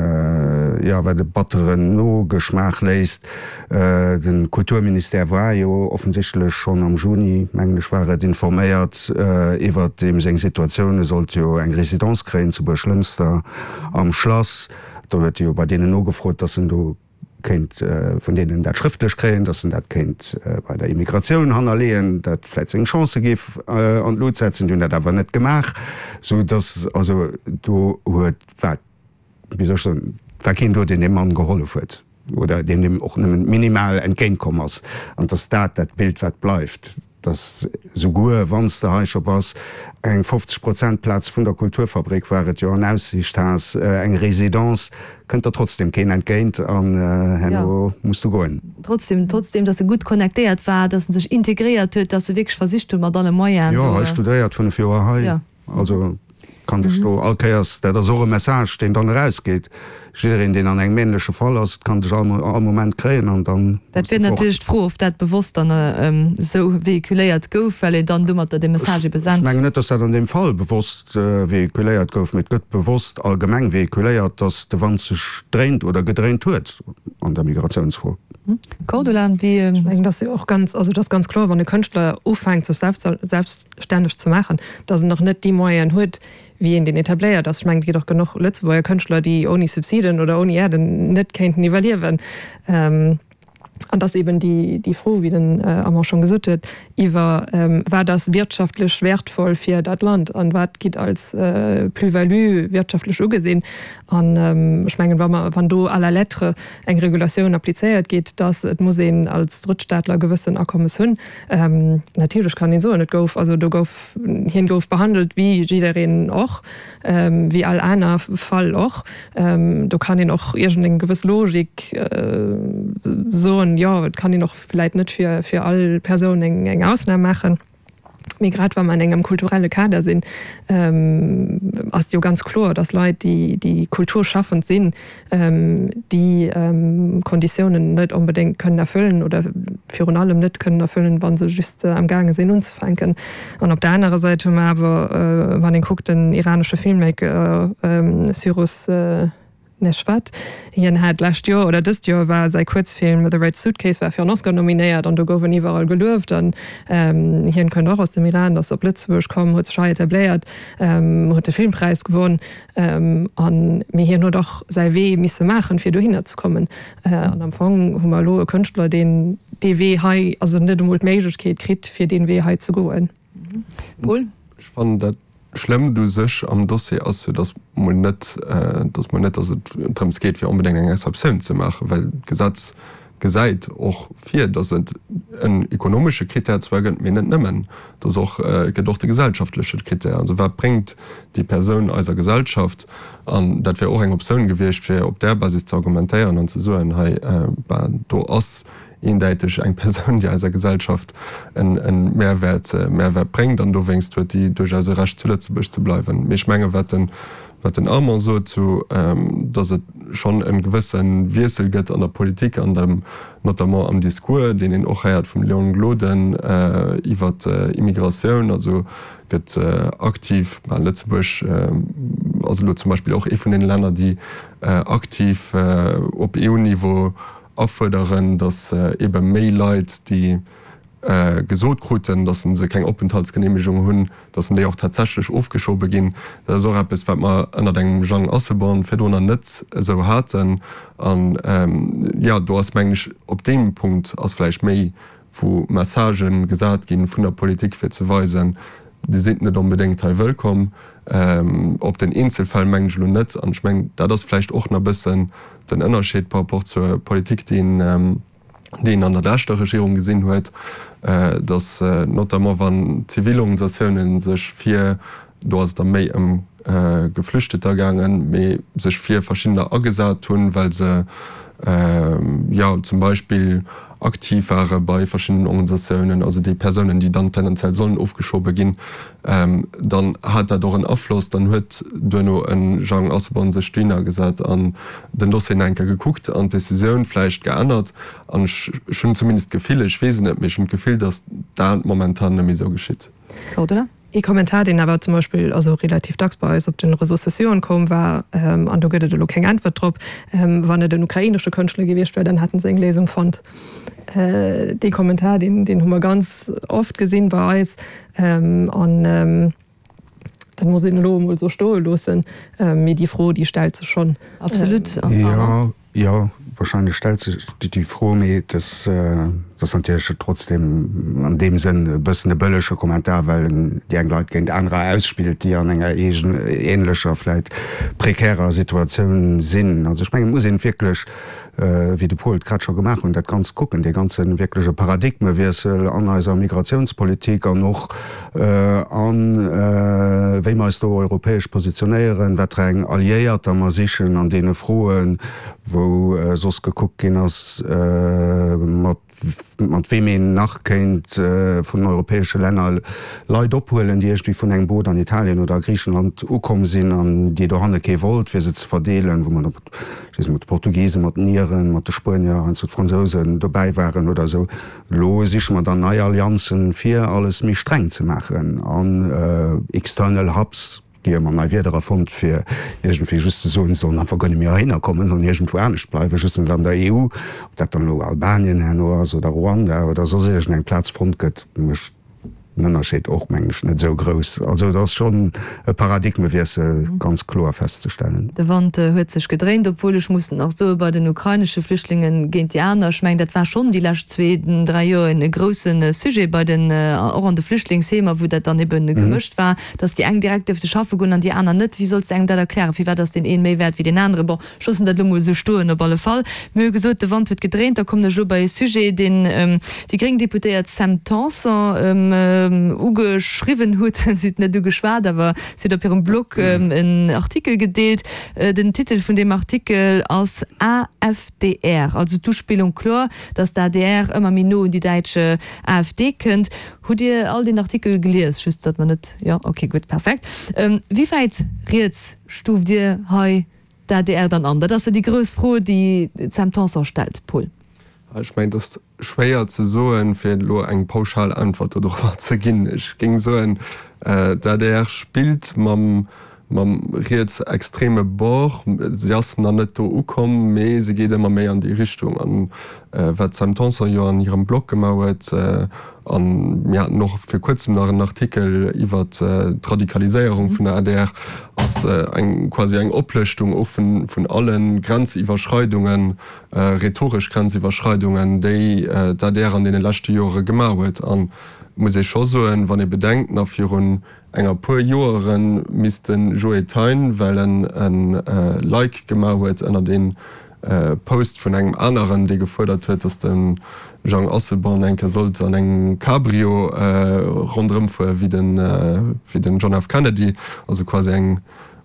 jo, wat e batteren Nogeschmaach léisst, de Kulturministère war jo offensichtlech schonn am Juni, mengen ech war et, informéiert iwwert deem seng Situatioun. E sollt jo eng Résidence kréien zu Buerglënster am Schlass. Do huet e jo bei deenen nogefrot, dass en do kéint vun deenen dat schrëftlech kréien, dass en dat kéint bei der Immigratioun hannerleeën, dat vläit seng Chancë géif an d'Lut setzen. Déi hunn dat awer net gemaach, sou dass also do huet, war, wéi soll ech soen, war keen do, deen deem Mann gehollef huet oder deen deem och nëmmen minimal entgéintkomm ass. An dass dat dat Bild, wat bleift. Dass souguer wann s de hei scho bass, eng fofzeg Prozent Plaz vun der Kulturfabrik war et jo an Aussiicht has, eng Résidence, kënnt der trotzdem keen entgéint an herno muss du goen. Trotzdem, trotzdem, dass e gutt connectéiert war, dass en sech integréiert huet, dass e wierklech versicht huet mat alle Moyenen do. Jo, hei studéiert, fënnef Joer hei. Also kann dech do all Kéiers, dat ass och e Message, deen dann erausgeet, jiddereen, deen an engem änleche Fall ass, et kann dech all all Moment kréien an dann Dat muss wier de fort. natierlech d'Fro, ob dat bewosst dann esou véhiculéiert gouf, well een dann domatter dee Message ebe Ech sent. mengen net, dass dat an deem Fall bewosst véhiculéiert gouf, mee et gëtt bewosst allgemeng véhiculéiert, dass de Wand sech dréint oder gedréint huet an der Migratiounsfro. Cordula, wéi. Ech mengen, dat ass jo och ganz, also et ass ganz kloer, wann e Kënschtler ufänkt, sech selbst, selbststänneg ze maachen, datt en nach net déi Moyenen huet, wéi een, deen etabléiert ass. Ech mengen, et ginn och genuch Lëtzebuerger Kënschtler, déi ouni Subsiden oder ouni Aiden net kéinten iwwerliewen. An et ass eben déi Fro, wéi den Armand schonn gesot huet, iwwer wat ass wirtschaftlech wäertvoll fir dat Land an wat gitt als Plus-value wirtschaftlech ugesinn. An ech mengen, wa mer, wann do à la lettre eng Regulatioun applizéiert gétt, dass et muss een als Drëttstaatler gewëssen Akommes hunn, natierlech kann een soen, et gouf, also do gouf, hien gouf behandelt wéi jiddereen och, wéi all aner Fall och. Do kann een och iergendeng gewëss Logik soen, jo, et kann een och vläit net fir, fir all Persoun eng, eng Ausnam maachen. Mee grad wa mer an engem kulturelle Kader sinn, ass et jo ganz kloer, dass Leit, déi, déi kulturschaffend sinn, déi Konditiounen net onbedéngt kënnen erfüllen oder virun allem net kënnen erfüllen, wa se just amgaange sinn unzefänken. An op der anerer Säit hu mer awer, wann een kuckt, den iranesche Filmmaker Cyrus Neshvad, hien hat d'lescht Joer oder dëst Joer war säi Kuerzfilm The Red Suitcase war fir en Oscar nominéiert an do gouf en iwwerall gelueft an hien kënnt och aus dem Iran, ass op Lëtzebuerg komm, huet sech hei etabléiert, huet de Filmpräis gewonn an mee hien huet och säi Wee misse maachen, fir dohinner ze kommen an am Fong hu mer elo e Kënschtler, deen dee Wee hei, also net emol d'Méiglechkeet kritt, fir dee Wee hei ze goen. Paul? Ech fannen dat Schlëmmt u sech am Dossier ass jo, datt mol net, datt mol net, datt et drëms geet, fir onbedéngt eng Exceptioun ze maachen, well d'Gesetz gesäit och vir, datt et en ekonomesche Krittär zwar gëtt, mee net nëmmen, datt och, et gëtt och de gesellschaftleche Krittär, also wat bréngt déi Persoun eiser Gesellschaft? An dat wär och eng Optioun gewiescht, fir op där Basis ze argumentéieren an ze soen, hei, ben, do ass eendäiteg eng Persoun, déi eiser Gesellschaft e Mehrwäert, Mehrwäert bréngt an dowéinst huet déi duerchaus e Recht zu Lëtzebuerg ze bleiwen. Mee ech menge wat den, wat den Armand sot zu, datt et schonn e gewësse Wiessel gëtt an der Politik an dem, notamment am Discours, deen een och héiert vum Léon Gloden iwwer Immigratioun, also gëtt aktiv, ben Lëtzebuerg ass elo zum Beispill och ee vun deene Länner, déi aktiv op EU-Niveau afuerderen, datt ebe méi Leit, déi gesot kruten, datt se keng Openthaltsgeneemegung hunn, datt déi och tatsächlech ofgeschobe ginn. Dat ass och eppes, wat mer ënnert engem Jang Asselborn virdrunner net esou haten. An, jo, do ass, mengen ech, op deem Punkt ass vläicht méi, wou Messagë gesat gi vun der Politik, fir ze weisen, Dir sidd net onbedéngt hei wëllkomm. Op den Eenzelfäll mengen ech elo net. An ech mengen, dat ass vläicht och nach e bëssen den Ënnerscheed par rapport zur Politik, déi een, déi een an der leschter Regierung gesinn huet, datt notamment wann Zivilorganisatiounen sech fir, do ass et da méi ëm Geflüchteter gaangen, mee sech fir verschiddener agesat hunn, well se, jo, zum Beispill aktiv ware bei verschiddenen Organisatiounen, also déi Persounen, déi dann tendenziell sollen ofgeschobe ginn, dann hat dat och en Afloss. Dann huet duerno e Jang Asselborn sech dohinner gesat an den Dossier nach eng Kéier gekuckt an d'Decisioun vläicht geännert. An ech hunn zumindest d'Gefill, ech weess et net, mee ech hunn d'Gefill, datt dat momentan net méi esou geschitt. Cordula? Ee Kommentar, deen awer zum Beispill also relativ dacks bei eis op de Réseaux sociauxen koum, war, an do gëtt et elo keng Äntwert drop, Wann et en ukrainesche Kënschtler gewiescht wär, dann hätten se eng Léisung fonnt. Dee Kommentar, deen, deen hu mer ganz oft gesinn bei eis. An dat muss een elo emol esou stoe loossen. Mee déi Fro, déi stellt sech schonn. Absolut. Jo, jo, wahrscheinlech stellt sech déi Fro, mee et ass natierlech trotzdem an deem Sënn e bëssen e bëllege Kommentar, well en déi eng Leit géint anerer ausspillt, déi an enger ähnlecher, vläit prekärer Situatioun sinn. Also ech mengen, et muss een wierklech, wéi de Paul et grad scho gemaach hunn, dat Ganzt kucken, dee ganze wierkleche Paradigmewiessel an eiser Migratiounspolitik an och a wéi mer eis do europäesch positionéieren, wat fir eng Alliéierter mer sichen an deene Froen, wou soss gekuckt ginn ass, mat mat weem een nach kéint vun europäesche Länner Leit ophuelen, déi iergendwéi vun engem Boot an Italien oder a Griichenland ukomm sinn an déi dohanne kee wollt, fir se ze verdeelen, wou mer ech weess net, mat de Portugisen, mat den Iren, mat de Spuenier, heiansdo d'Fransousen dobäi waren oder esou. Elo siche mer dann nei Allianzen, fir alles méi streng ze maachen an external hubs, gi ëmmer nei Wierder erfonnt, fir iergendwéi just ze soen, se sollen einfach guer net méi heihinner kommen an iergendwou anescht bleiwen, just net an der E U. Ob dat dann elo Albanien herno ass oder Ruanda oder soss iergendeng Plaz fonnt gëtt, mécht den Ënnerscheed och, mengen ech, net esou grouss. Also et ass schonn e Paradigmewiessel ganz kloer festzestellen. De Wand huet sech gedréint, obwuel ech muss nach soe bei den ukrainesche Flüchtlingen géint déi aner, ech mengen dat war schonn déi lescht zwee, dräi Joer e grousse Sujet bei den, och an de Flüchtlingsheemer, wou dat dann ebe gemëscht war, dass déi eng direkt duerfte schaffe goen an déi aner net. Wéi solls de engem dat erklären? Firwat ass deen een méi wäert wéi deen aneren? Bon, ech loossen dat elo mol esou stoen. Op alle Fall, mir hu gesot, de Wand huet gedréint. Da kommen ech elo bei e Sujet, deen déi gréng Deputéiert Sam Tanson ugeschriwwen huet. Si huet net ugeschwat, awer si huet op hirem Blog en Artikel gedeelt. Den Titel vun deem Artikel ass A F D R, also d'Uspillung kloer, dass d'A D R ëmmer méi no un déi däitsch A F D kënnt. Hutt Dir all deen Artikel gelies? Just datt mer net, jo, ok, gutt, perfekt. Wéi wäit riets stuuft Dir hei d'A D R dann an? Dat ass jo déi grouss Fro, déi d'Sam Tanson stellt, Paul. Ech mengen, et ass schwéier ze soen, fir elo eng pauschal Äntwert dodrower ze ginn. Ech géing soen, d'A D R spillt mam mam rietsextreme Bord. Si ass nach net do ukomm, mee se geet ëmmer méi an déi Richtung. An wat d'Sam Tanson jo an hirem Blog gemaach huet, a mir haten och vir kuerzem nach en Artikel iwwer d'Radikaliséierung vun der A D R, ass eng quasi eng Oplëschtung och vun vun alle Grenziwwerschreidungen, rhetoresch Grenziwwerschreidungen, déi d'A D R an deene leschte Jore gemaach huet. An et muss ee scho soen, wann ee bedenkt, nach virun enger puer Joere misst de Joe Thein, well en e Like gemaach huet ënnert een Post vun engem aneren, dee gefuerdert huet, datt de Jean Asselborn eng Kéier sollt an engem Cabrio ronderëm fuere wéi den, wéi den John F. Kennedy, also quasi eng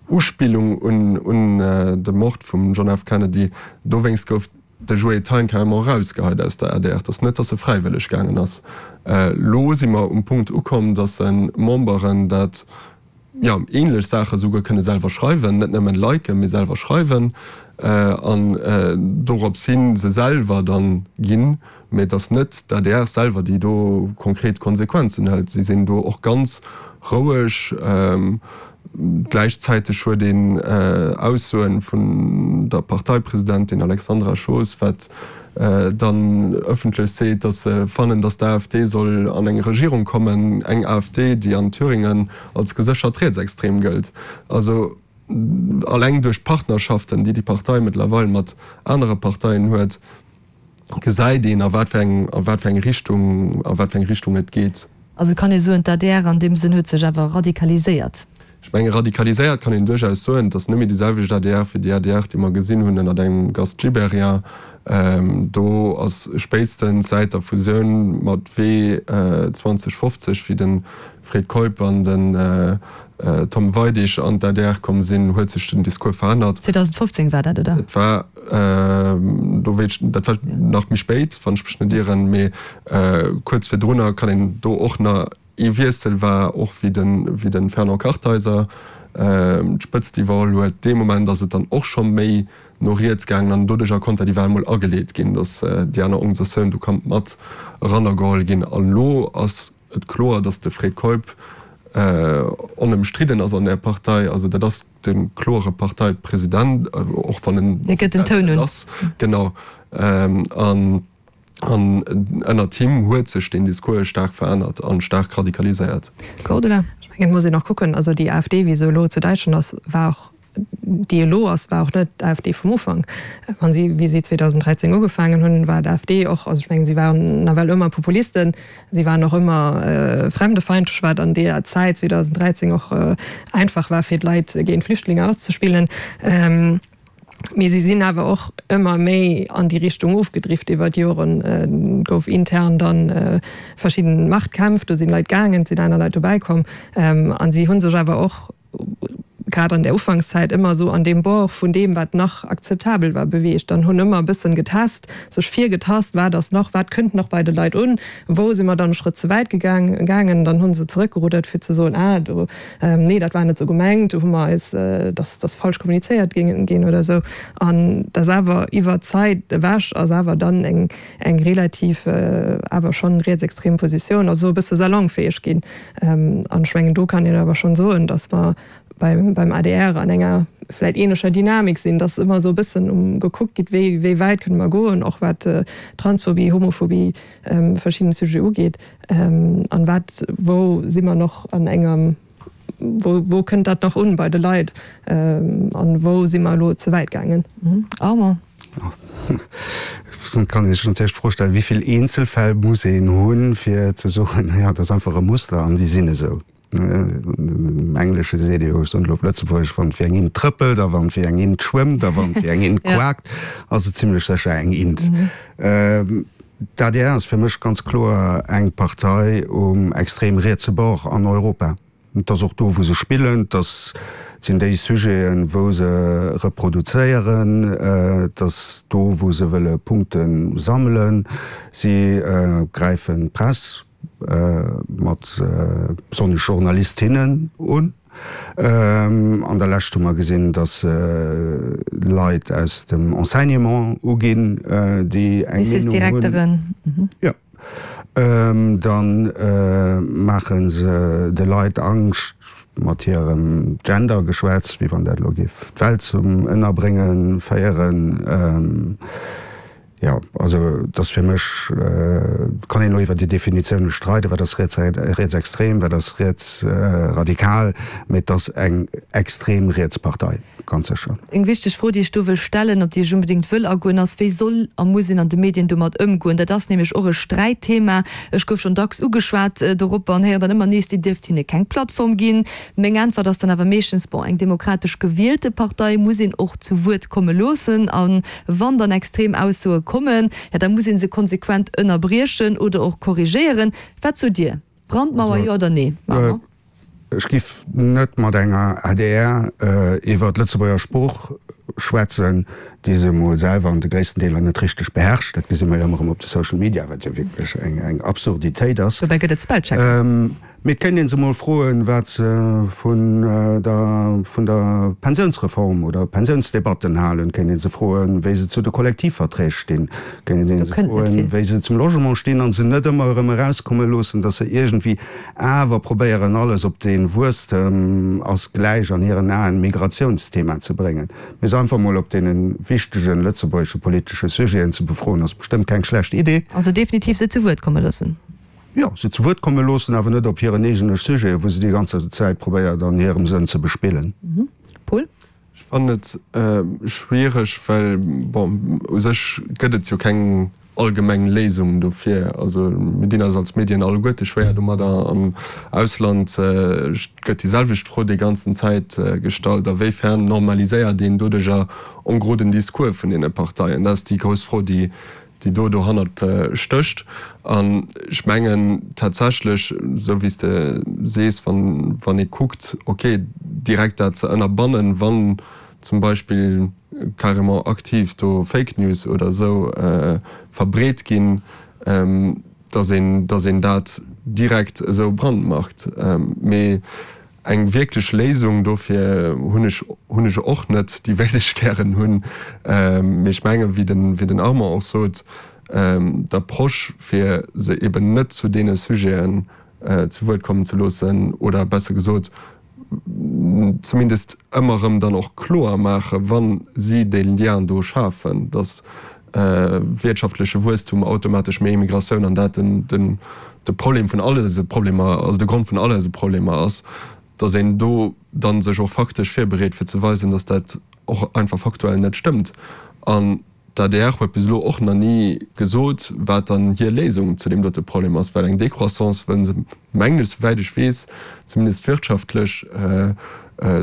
Uspillung un, un de Mord vum John F. Kennedy. Dowéinst gouf de Joe Thein carrément erausgeheit aus der adr. Et ass net, datt e fräiwëlleg gaangen ass. Elo si mer um Punkt ukomm, datt Memberen dat, jo, ähnlech Saache souguer kënne selwer schreiwen, net nëmmen liken, mee selwer schreiwen an dorops hin se selwer dann ginn. Mee et ass net d'ADR selwer, déi do konkret Konsequenzen hëlt. Si sinn do och ganz roueg. Gläichzäiteg huet een Aussoen vun der Parteipresidentin Alexandra Schoos, wat dann ëffentlech seet, datt se fannen, datt d'AfD soll an eng Regierung kommen, eng AfD, déi an Thüringen als geséchert rietsextrem gëllt. Also alleng duerch d'Partnerschaften, déi déi Partei mëttlerweil mat anere Parteien huet, gesäit een, a wat fir eng, a wat fir eng Richtung, a wat fir eng Richtung et geet. Also kann ee soen, d'ADR an deem Sënn huet sech awer radikaliséiert? Ech menge radikaliséiert kann een duerchaus soen. Et ass net méi déi selwecht adr wéi déi adr, déi mer gesinn hunn ënnert engem Gast Gibéryen. Do ass spéitstens säit der Fusioun mat Wee zweitausendfofzeg, wéi de Fred Keup an den Tom Weidig an d'ADR komm sinn, huet sech den Discours verännert. zweitausendfofzéng war dat, oder? Dat war, do wéilt ech, dat war nach méi spéit, wann ech mech net ieren, mee kuerz virdrunner kann een do och nach. Ee Wiessel war och wéi de wéi de Fernand Kartheiser d'Spëtzt iwwerholl huet. Dee Moment ass et dann och scho méi no riets gaangen an doduercher konnt dat iwwerall mol ageleet ginn, datt déi aner Organisatioun do konnt mat erannergeholl ginn. An elo ass et kloer, datt de Fred Keup onëmstridden ass an där Partei. Also dat ass de kloere Parteipresident, och wann en Hie gëtt den Toun un. ass. Genau. An An ënnert him huet sech deen Discours staark verännert a staark radikaliséiert. Cordula. Ech mengen, et muss een och kucken, also déi AfD, wéi se elo zu Däitschland ass, war och, déi elo ass, war och net d'AfD vum Ufank. Wann si, wéi si zweetausenddräizéng ugefaangen hunn, war d'AfD och, also ech mengen, si waren nawell ëmmer Populisten, si waren och ëmmer fremdefeindlech, wat an deeër Zäit zweetausenddräizéng och einfach war, fir d'Leit géint Flüchtlinge auszespillen. Mee si sinn awer och ëmmer méi an déi Richtung ofgedrift iwwer d'Joren. Et gouf intern da verschidden Machtkämpf, do sinn Leit gaangen, et sinn aner Leit dobäi komm. A si hu sech awer och grad an der Ufankszäit ëmmer esou an deem Bord vun deem, wat nach akzeptabel war, beweegt an hunn ëmmer e bëssen getest, sech virgetast, wat ass nach, wat kënnt nach bei de Leit un, wou si mer dann e Schrëtt ze wäit gaangen. Dann hu se zeréckgeruddert, fir ze soen, ah do, Nee, dat war net esou gemengt, do hu mer eis, dass dass falsch kommunizéiert ginn oder esou. An dass awer iwwer d'Zäit ewech ass awer dann eng eng relativ awer schonn rietsextrem Positioun, also esou e bësse salonfäeg ginn. An ech mengen, do kann een awer schonn soen, dass mer beim beim adr an enger vläit ähnlecher Dynamik sinn, dass ëmmer esou e bëssen um gekuckt gitt, wéi wéi wäit kënne mer goen, och wat Transphobie, Homophobie, verschidden Sujete ugeet. An wat, wou si mer nach an engem, wou, wou kënnt dat nach un bei de Leit an wou si mer elo ze wäit gaangen? Armand. Et kann ee sech natierlech d'Fro stellen, wéi vill Eenzelfäll muss een hunn, fir ze soen, jo, dat ass einfach e Muster an déi sinn esou. Am Englesche seet ee jo, ech soen elo op Lëtzebuergesch, wann et wéi eng Int trëppelt a wann et wéi eng Int schwëmmt a wann et wéi eng Int quakt, ass et zimlech sécher eng Int. D'adr ass fir mech ganz kloer eng Partei um extrem rietse Bord an Europa. Et ass och do, wou se spillen. Et ass, et sinn déi Sujeten, wou se reproduzéieren. Et ass do, wou se wëlle Punkte sammelen. Si gräifen d'Press mat besonnesch Journalistinnen un. An der Lescht hu mer gesinn, datt se Leit aus dem Enseignement uginn, déi eng Meenung hunn. Jo. Da maache se de Leit Angscht mat hirem Gender-Geschwätz, wéi wann dat elo géif d'Welt zum Ënnerbrénge féieren. Jo, also et ass fir mech, et kann een elo iwwer déi Definitioune streiden, wat ass rietsextrem, wat ass rietsradikal, mee et ass eng extrem riets Partei, ganz sécher. Eng wichteg Fro, déi ech do wëll stellen, op déi ech unbedéngt wëll agoen, ass, Wéi soll a muss een an de Medien domat ëmgoen? Dat ass nämlech och e Sträitthema. Ech gouf schonn dacks ugeschwat dorop an héieren dann ëmmer nees, Dir dierft hinne keng Plattform ginn. Meng Äntwert ass dann awer meeschtens, Bon, eng demokratesch gewielte Partei muss een och zu Wuert komme loossen. A wann dann extrem Aussoe kommen, ja da muss ee se konsequent ënnerbriechen oder och korrigéieren. Wat sot Dir? Brandmauer, jo oder nee? Armand? Ech giff net mat enger adr iwwer d'Lëtzebuerger Sprooch schwätzen, déi se emol selwer an de gréissten Deeler net richteg beherrscht. Dat gesi mer jo ëmmer erëm op de Social Media, wat jo wierklech eng Absurditéit ass. Dobäi gëtt et Spellchecker. Mee et kéint ee se mol froen, wat se vun der vun der Pensiounsreform oder Pensiounsdebatten halen. Et kéint ee se froen, wéi se zu de Kollektivverträg stinn. Et kéint ee se froen, wéi se zum Logement stinn a se net ëmmer erëm erauskomme loossen, datt se iergendwéi awer probéieren, alles op dee Wuesstem ass gläich an hiren Aen Migratiounsthema ze bréngen. Mee se einfach mol op deene wichtegen lëtzebuergesche politesche Sujeten ze befroen, ass bestëmmt keng schlecht Idee. Also definitiv se zu Wuert komme loossen. Jo, se zu Wuert komme loossen, awer net op hiren eegene Sujeten, wou se déi ganze Zäit probéiert an hirem Sënn ze bespillen. Paul? Ech fannen et schwiereg, well, bon, u sech gëtt et jo keng allgemeng Léisung dofir. Also mir dinn eis als Medien alleguerte schwéier domadder. Am Ausland gëtt déi selwecht Fro déi ganzen Zäit gestallt, a wéifern normaliséiert een doduercher en gros den Discours vun deene Parteien? Dat ass déi grouss Fro, déi déi do dohannert stécht. An ech mengen tatsächlech, esou wéi s de sees, wann, wann ee kuckt, okay, direkt dat ze ënnerbannen, wann zum Beispill carrément aktiv do Fake News oder esou verbreet ginn, dass een, dass een dat direkt esou brandmarkt. Mee Eng wierklech Léisung dofir hunn ech hunn ech och net, déi wéilt ech gären hunn. Mee ech mengen, wéi den wéi den Armand och sot, d'Approche fir se eben net zu deene Sujeten zu Wuert kommen ze loossen oder besser gesot zumindest ëmmer erëm dann och kloer maachen, wa si dee Lien do schafen, datt wirtschaftleche Wuesstum automatesch méi Immigratioun an dat den den de Problem vun all eise Problemer, also de Grond vun all eise Problemer ass, datt een do da sech och faktesch virbereet fir ze weisen, datt dat och einfach faktuell net stëmmt. An d'ADR huet bis elo och nach ni gesot, wat dann hir Léisung zu deem dote Problem ass, well eng Décroissance wëllen se, mengen ech, souwäit ech weess, zumindest wirtschaftlech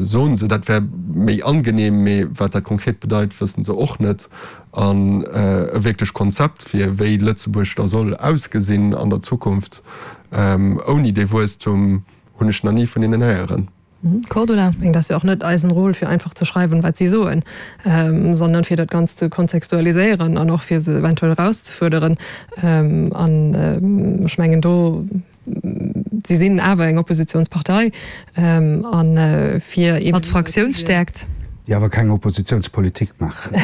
soen se, dat wär méi angenehm, mee wat dat konkret bedeit, wëssen se och net. An e wierklech Konzept fir wéi Lëtzebuerg da soll ausgesinn an der Zukunft ouni dee Wuesstum hunn ech nach ni vun hinnen héieren. Cordula? Ech mengen, et ass jo och net eisen Rôle fir einfach ze schreiwen, wat si soen, sondern fir dat Ganzt ze kontextualiséieren an och fir se eventuell erauszefuerderen. An ech mengen do, si sinn awer eng Oppositionspartei a fir eben. Mat Fraktiounsstärkt. Déi awer keng Oppositionspolitik maachen.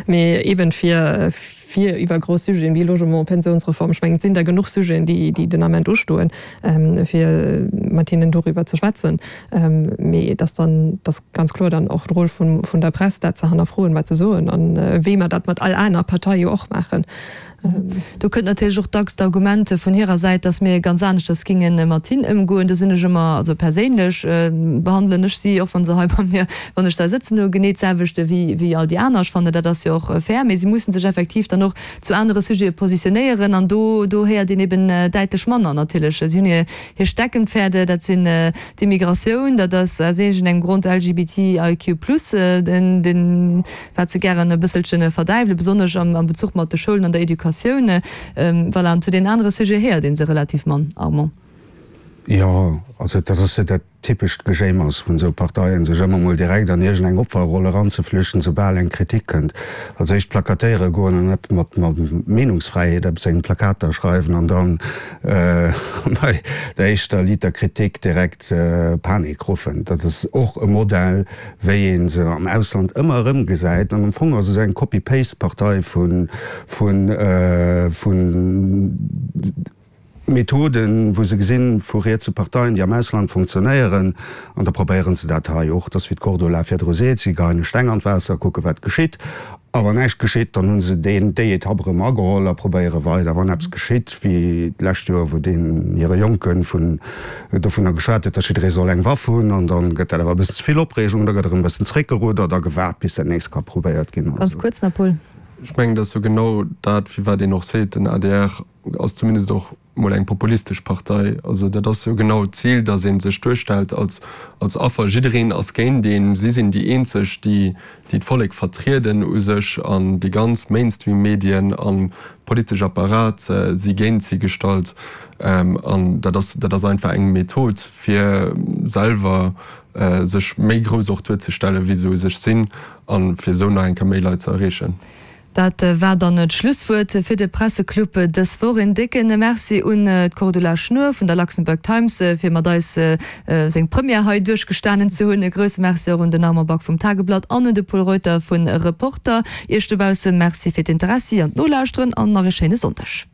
Mee eben fir fir iwwer grouss Sujeten wéi Logement, Pensionsreform, ech mengen, et sinn der genuch Sujeten, déi déi den Ament ustoen, fir mat hinnen doriwwer ze schwätzen. Mee et ass dann, et ass ganz kloer dann och de Rôle vun vun der Press, dat ze hannerfroen, wat se soen, an wéi mer dat mat all aner Partei jo och maachen. Do kënnt natierlech och dacks d'Argument vun hirer Säit, dass mir ganz aneschters géinge mat hinn ëmgoen. Do sinn ech ëmmer, also perséinlech behandelen ech si, och wa se hei bei mir, wann ech se hei sëtzen hu, genee d'selwecht wéi wéi all déi aner. Ech fannen, dat ass jo och fair. Mee si musse sech effektiv dann och zu anere Sujete positionéieren an do do héiert een eben däitlech manner natierlech. Si hunn hir hir Steckenpferde, dat sinn d'Immigratioun, dat ass aus iergendengem Grond LGBTIQ plus, den den wat se gären e bësselchen verdäiwelen, besonnesch am am Bezuch mat de Schoulen an der Educatioun. Voilà, an zu deenen anere Sujete héiert ee se relativ mann, Armand. Jo, also dat ass jo dat typescht Gejéimers vun esou Parteien, sech ëmmer mol direkt an iergend eng Opferroll eranzeflüchten, soubal eng Kritik kënnt. Als éischt plakatéiere goen an eppes mat Meenungsfräiheet eppes engem Plakater schreiwen an dann bei der éischter Liter Kritik direkt Panik ruffen. Dat ass och e Modell, wéi ee se am Ausland ëmmer erëm gesäit. An am Fong ass et esou eng Copy-Paste-Partei vun vun Methoden, wou se gesinn, vu rietse Parteien, déi am Ausland funktionéieren, an da probéiere se dat hei och. Et ass, wéi d'Cordula virdru seet, si geheien e Steng an d'Waasser, kucke wat geschitt. A wann näischt geschitt, dann hu se deen, déi Etapp erëm ageholl a probéiere weider. Wann eppes geschitt, wéi d'lescht Joer, wou deen hire Jonke vun, dovunner geschwat huet, datt jidderee soll eng Waff hunn, an da gëtt dat awer e bëssen ze vill Opreegung, da gëtt erëm e bëssen zréckgeruddert a gewaart, bis dat nächst ka probéiert ginn. Ganz kuerz nach, Paul. Ech mengen, dat ass jo genau dat, firwat een och seet, den adr ass zumindest och mol eng populistesch Partei. Also dat ass jo genau d'Zil, datt ee sech duerstellt als als Affer. Jiddereen ass géint een, si sinn déi eenzeg, déi déi d'Vollek vertrieden u sech an déi ganz Mainstream-Medien an politesch Apparat si géint si gestallt. An dat ass dat ass einfach eng Method, fir selwer sech méi grouss och duerzestellen, wéi se u sech sinn, a fir esou nach eng Kéier méi Leit ze erreechen. Dat war dann d'Schlusswuert fir de Presseclub dës Woch. Een décke Merci un d'Cordula Schnuer vun der Luxembourg Times, fir mat eis seng Première hei duerchgestanen ze hunn. E grousse Merci och un den Armand Back vum Tageblatt an un de Pol Reuter vu Reporter. Iech dobausse Merci fir d'Interessi an d'Nolauschteren an nach e schéine Sonndeg.